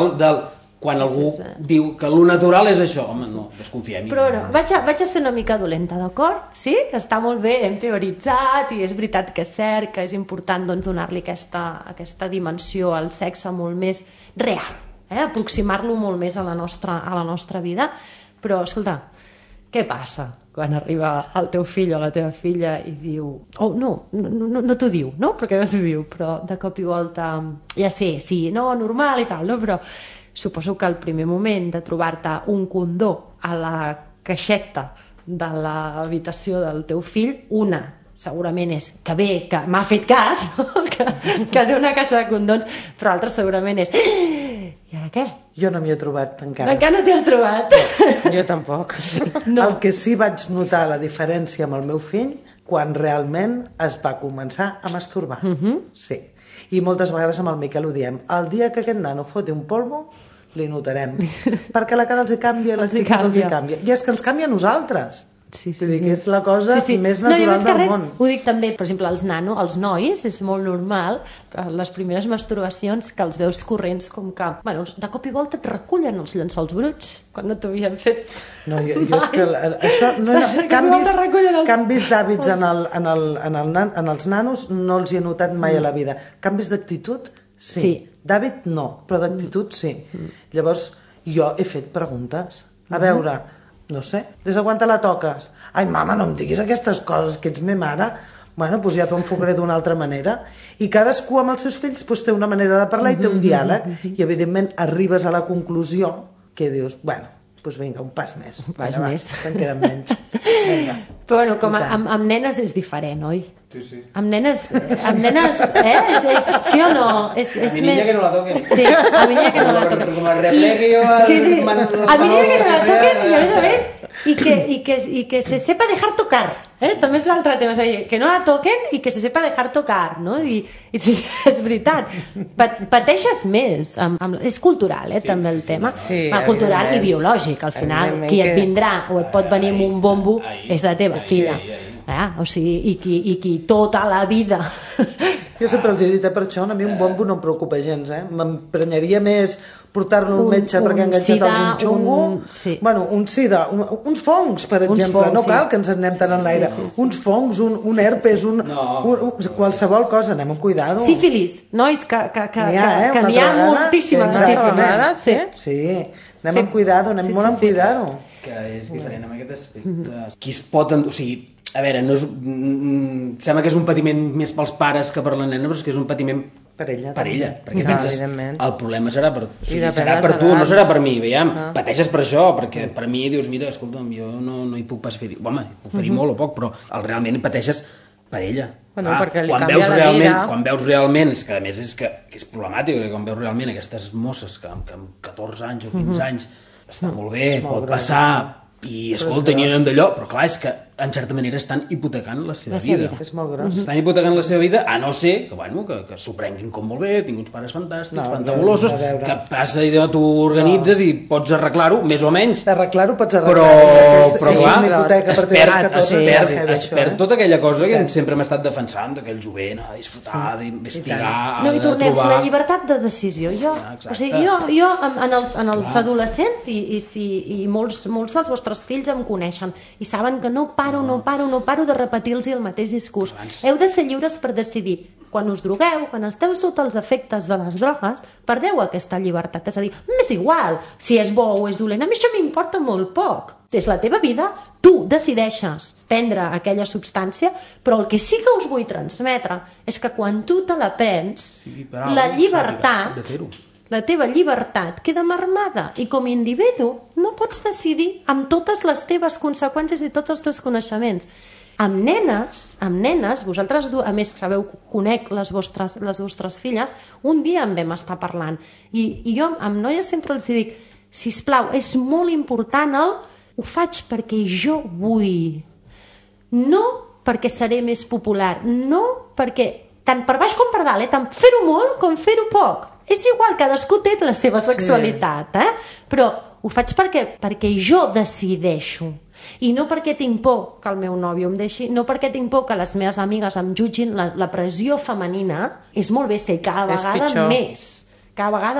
quan algú diu que lo natural és això, home, no, desconfiem. Però no, vaig a ser una mica dolenta, d'acord? Sí? Està molt bé, hem teoritzat i és veritat que és cert, que és important donar-li aquesta dimensió al sexe molt més real, aproximar-lo molt més a la nostra vida. Però, escolta, què passa quan arriba el teu fill o la teva filla i diu... no t'ho diu, no? Perquè no t'ho diu, però de cop i volta... Ja sé, sí, no, normal i tal, no? Però suposo que al primer moment de trobar-te un condó a la caixeta de l'habitació del teu fill, segurament és que bé, que m'ha fet cas, que té una caixa de condons, però l'altra segurament és... I ara què? Jo no m'hi he trobat encara. Encara no t'hi has trobat? Jo tampoc. No. El que sí vaig notar la diferència amb el meu fill quan realment es va començar a masturbar. Sí. I moltes vegades amb el Miquel ho diem. El dia que aquest nano foti un polvo, li notarem. Perquè la cara els hi canvia, l'actitud els hi canvia. I és que ens canvia a nosaltres. Sí. Vull dir que és la cosa més natural del món. Ho dic també, per exemple, els nois, és molt normal, les primeres masturbacions, que els veus corrents com que, bueno, de cop i volta et recullen els llençols bruts, quan no t'havien fet. No, jo és que això canvis d'hàbits en els nanos no els hi he notat mai a la vida. Canvis d'actitud, sí. D'hàbit no, però d'actitud sí. Llavors, jo he fet preguntes. A veure... No sé, des de quan te la toques? Ai, mama, no em diguis aquestes coses, que ets me mare. Bueno, doncs ja t'ho enfocaré d'una altra manera. I cadascú amb els seus fills té una manera de parlar i té un diàleg. I, evidentment, arribes a la conclusió que dius, bueno, doncs vinga, un pas més. Un pas més. En queden menys. Vinga. Però bueno, com amb nenes és diferent, oi? Sí. Amb nenes, sí o no? És a mi niña que no la toquen. Sí, a mi niña que no la toquen. Com el replegue jo... Sí. A mi niña que no la toquen i a més, y que se sepa dejar tocar. També és l'altre tema, que no la toquen i que se sepa dejar tocar, no? I és veritat, pateixes més, és cultural, també el tema, cultural i biològic, al final, qui et vindrà o et pot venir amb un bombo és la teva filla, o sigui, i qui tota la vida... Jo sempre els he dit, per això a mi un bombo no em preocupa gens, m'emprenyaria més portar-lo al metge perquè ha enganxat algun xungo, bueno, un sida, uns fongs, per exemple, no cal que ens anem tant en l'aire, uns fongs, un herpes, qualsevol cosa, anem amb cuidado. Sífilis, nois, que n'hi ha moltíssima de sífilis. Sí, anem amb cuidado, anem molt amb cuidado. Que és diferent en aquest aspecte. Qui es pot... O sigui, a veure, no és, sembla que és un patiment més pels pares que per la nena, però és que és un patiment per ella, perquè penses, el problema serà per, serà per tu, no serà per mi, veiem, pateixes per això, perquè per mi dius, mira, escolta'm, jo no hi puc pas fer-hi, home, puc fer-hi molt o poc, però realment pateixes per ella. Perquè li canvia la vida. Quan veus realment, és que a més és que és problemàtic, quan veus realment aquestes mosses que amb 14 anys o 15 anys està molt bé, pot passar, i escolta, n'hi ha d'allò, però clar, és que en certa manera estan hipotecant la seva vida. És molt gros. Estan hipotecant la seva vida, a no ser que s'ho prenguin com molt bé, tinc uns pares fantàstics, fantabulosos, que passa i tu organitzes i pots arreglar-ho, més o menys. Arreglar-ho pots arreglar. Però clar, es perd tota aquella cosa que sempre hem estat defensant, d'aquell jovent, a disfrutar, d'investigar, a trobar... No, i tornem, la llibertat de decisió. Jo, en els adolescents, i molts dels vostres fills em coneixen, i saben que no paro paro de repetir-los el mateix discurs. Heu de ser lliures per decidir. Quan us drogueu, quan esteu sota els efectes de les drogues, perdeu aquesta llibertat. És a dir, m'és igual si és bo o és dolent, a mi això m'importa molt poc. És la teva vida, tu decideixes prendre aquella substància, però el que sí que us vull transmetre és que quan tu te la prens, la llibertat, la teva llibertat queda marmada i com a individu no pots decidir amb totes les teves conseqüències i tots els teus coneixements. Amb nenes, vosaltres, a més, sabeu, conec les vostres filles, un dia en vam estar parlant. I jo amb noies sempre els dic, sisplau, és molt important ho faig perquè jo vull. No perquè seré més popular, no perquè, tant per baix com per dalt, tant fer-ho molt com fer-ho poc. És igual, cadascú té la seva sexualitat, però ho faig perquè jo decideixo. I no perquè tinc por que el meu nòvio em deixi, no perquè tinc por que les meves amigues em jutgin. La pressió femenina és molt bèstia i cada vegada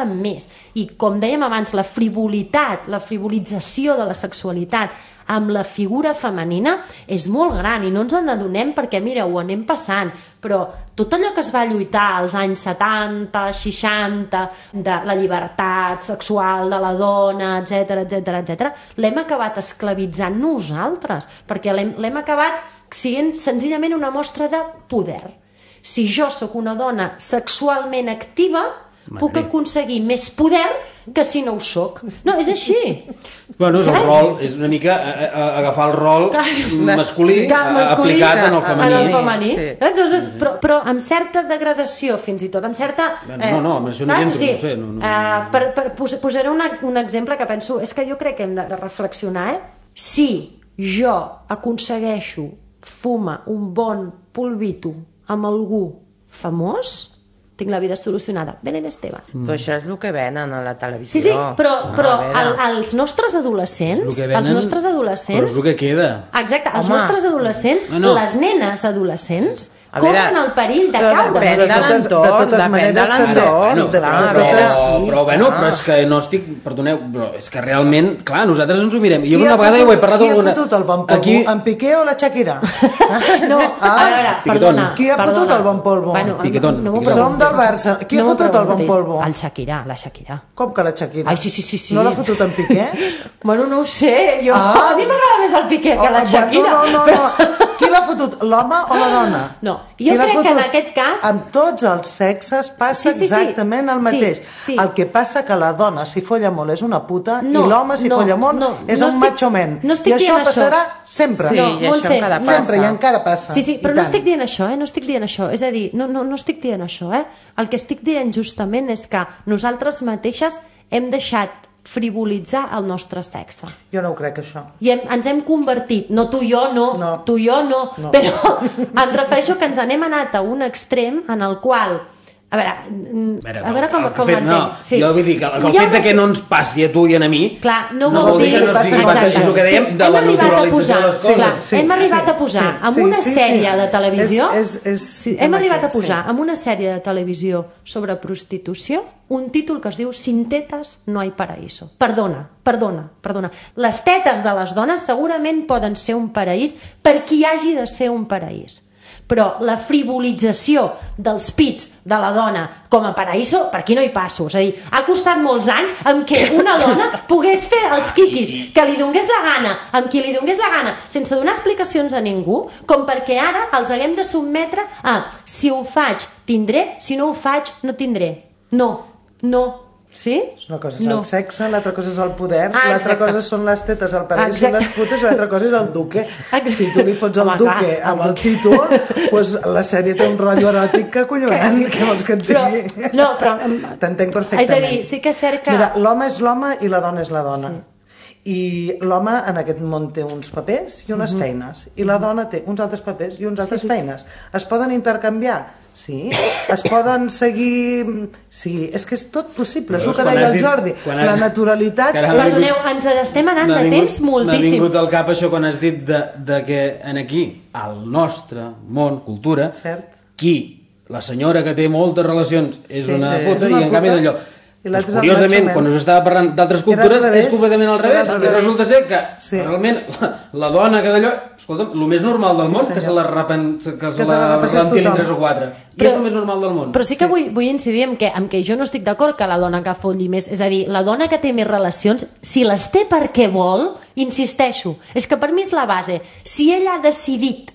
més. I com dèiem abans, la frivolitat, la frivolització de la sexualitat amb la figura femenina és molt gran i no ens n'adonem perquè, mira, ho anem passant, però tot allò que es va lluitar als anys 70, 60, de la llibertat sexual de la dona, etc, l'hem acabat esclavitzant nosaltres, perquè l'hem acabat sent senzillament una mostra de poder. Si jo sóc una dona sexualment activa, puc aconseguir més poder que si no ho soc. No, és així. Bueno, és el rol, és una mica agafar el rol masculí aplicat en el femení. Però amb certa degradació, fins i tot, amb certa... No, amb això no hi entro, no sé. Posaré un exemple que penso, és que jo crec que hem de reflexionar, Si jo aconsegueixo fumar un bon polvito amb algú famós, tinc la vida solucionada. Belén Esteban. Però això és el que venen a la televisió. Sí, però els nostres adolescents... Però és el que queda. Exacte, els nostres adolescents, les nenes adolescents, corren el perill de caure. Depèn de l'entorn. Però és que no estic... Perdoneu, però és que realment, clar, nosaltres ens ho mirem. Jo una vegada ho he parlat... Qui ha fotut el bon polvo? En Piqué o la Shakira? No, a veure, perdona. Qui ha fotut el bon polvo? Piquetón. Som del Barça. Qui ha fotut el bon polvo? La Shakira. Com que la Shakira? Ai, sí. No l'ha fotut en Piqué? Bueno, no ho sé, jo... A mi m'agrada més el Piqué que la Shakira. No. Qui l'ha fotut, l'home o la dona? No, jo crec que en aquest cas... Amb tots els sexes passa exactament el mateix. El que passa que la dona, si folla molt, és una puta, i l'home, si folla molt, és un macho man. I això passarà sempre. Sí, i això encara passa. Sempre, i encara passa. Sí, però no estic dient això, no estic dient això. És a dir, no estic dient això, El que estic dient justament és que nosaltres mateixes hem deixat frivolitzar el nostre sexe. Jo no ho crec, això. I ens hem convertit, no tu i jo no, però em refereixo que ens n'hem anat a un extrem en el qual, a veure com l'entenc. Jo vull dir que el fet que no ens passi a tu i a mi no vol dir que no sigui el que dèiem de la naturalització de les coses. Hem arribat a posar en una sèrie de televisió hem arribat a posar en una sèrie de televisió sobre prostitució un títol que es diu Sin tetas no hay paraíso. Perdona. Les tetes de les dones segurament poden ser un paraís per qui hagi de ser un paraís. Però la frivolització dels pits de la dona com a paraíso, per aquí no hi passo. És a dir, ha costat molts anys en què una dona pogués fer els quiquis que li donés la gana, amb qui li donés la gana, sense donar explicacions a ningú, com perquè ara els haguem de sotmetre a si ho faig tindré, si no ho faig no tindré. No. Sí? Una cosa és el sexe, l'altra cosa és el poder, l'altra cosa són les tetes, el paraís són les putes, l'altra cosa és el duque. Si tu li fots el duque amb el títol, doncs la sèrie té un rotllo eròtic que acollonant, què vols que et digui? No, però... T'entenc perfectament. És a dir, sí que és cert que... Mira, l'home és l'home i la dona és la dona. I l'home en aquest món té uns papers i unes feines, i la dona té uns altres papers i unes altres feines. Es poden intercanviar? Sí. Es poden seguir... Sí, és que és tot possible, és el que deia el Jordi. La naturalitat... Perdoneu, ens estem anant de temps moltíssim. M'ha vingut al cap això quan has dit que aquí, al nostre món, cultura, qui, la senyora que té moltes relacions, és una puta, i en canvi d'allò... I l'altre és el curiosament, macho quan man. us estava parlant d'altres Era al cultures, revés. és completament al Era revés. al I revés. resulta ser que Sí. realment la dona que d'allò, escolta'm, el més normal del món, que se la se la repassés rentin tothom. 3 o 4. I Però- és el més normal del món. Però sí que vull incidir en que jo no estic d'acord que la dona que folli més, és a dir, la dona que té més relacions, si les té perquè vol, insisteixo, és que per mi és la base. Si ella ha decidit,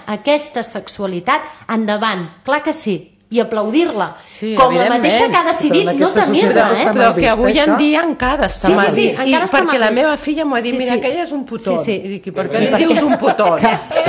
aquesta sexualitat, endavant, clar que sí, i aplaudir-la. Sí, com la evidentment. mateixa que ha Però decidit en no aquesta tenir-la, societat està eh? mal Però que vist, avui en això? dia encara està Sí, mal sí, sí, vist. encara està perquè mal la vist. meva filla m'ho ha dit, Sí, mira, sí. que ella és un putón. Sí, sí. I dic, i per què li dius un putón?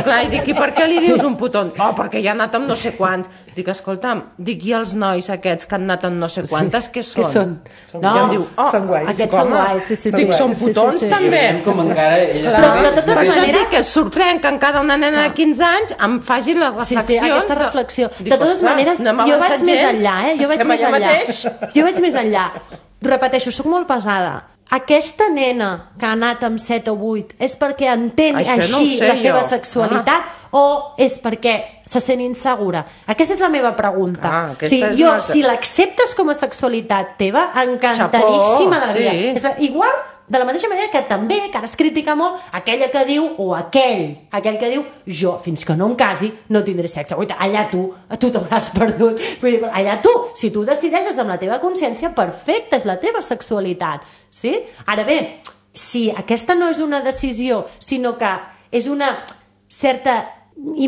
Clar, i dic, i per què li dius un putón? Oh, perquè ja ha anat amb no sé quants. Dic, escolta'm, i els nois aquests que han anat amb no sé quantes, què són? Què són? I em diu, són guais. Aquests són guais, sí. Dic, són Sí, putons sí. I també. veiem com encara ella Però de totes Per això maneres- dic que et sorprèn que encara una nena de 15 anys em faci les reflexions. Sí, aquesta reflexió. Dic, De totes ostres, maneres, no hem jo vaig avançat més gens. enllà, Jo vaig Estem més allà enllà. mateix. Jo vaig més enllà. Repeteixo, sóc molt pesada. Aquesta nena que ha anat amb 7 o 8 és perquè entén Això no així ho sé la seva jo. sexualitat o és perquè se sent insegura? Aquesta és la meva pregunta. aquesta és jo, una altra. si l'acceptes com a sexualitat teva, encantadíssima de la vida. sí. És igual, de la mateixa manera que també, que ara es critica molt, aquella que diu, o aquell que diu, jo, fins que no em casi, no tindré sexe. Oita, allà tu t'hauràs perdut. Vull dir, allà tu, si tu decideixes amb la teva consciència, perfecte, és la teva sexualitat. Sí? Ara bé, si aquesta no és una decisió, sinó que és una certa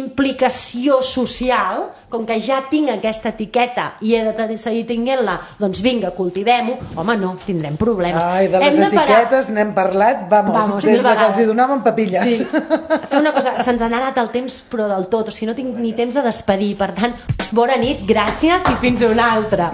implicació social, com que ja tinc aquesta etiqueta i he de seguir tinguent-la, doncs vinga, cultivem-ho, home, no, tindrem problemes. Ai, de les Hem de parar. etiquetes n'hem parlat, vamos, des mil de que els hi vegades. donaven papilles. Sí. Fer una cosa, se'ns ha anat el temps, però del tot, o sigui, no tinc ni temps de despedir, per tant, bona nit, gràcies i fins una altra.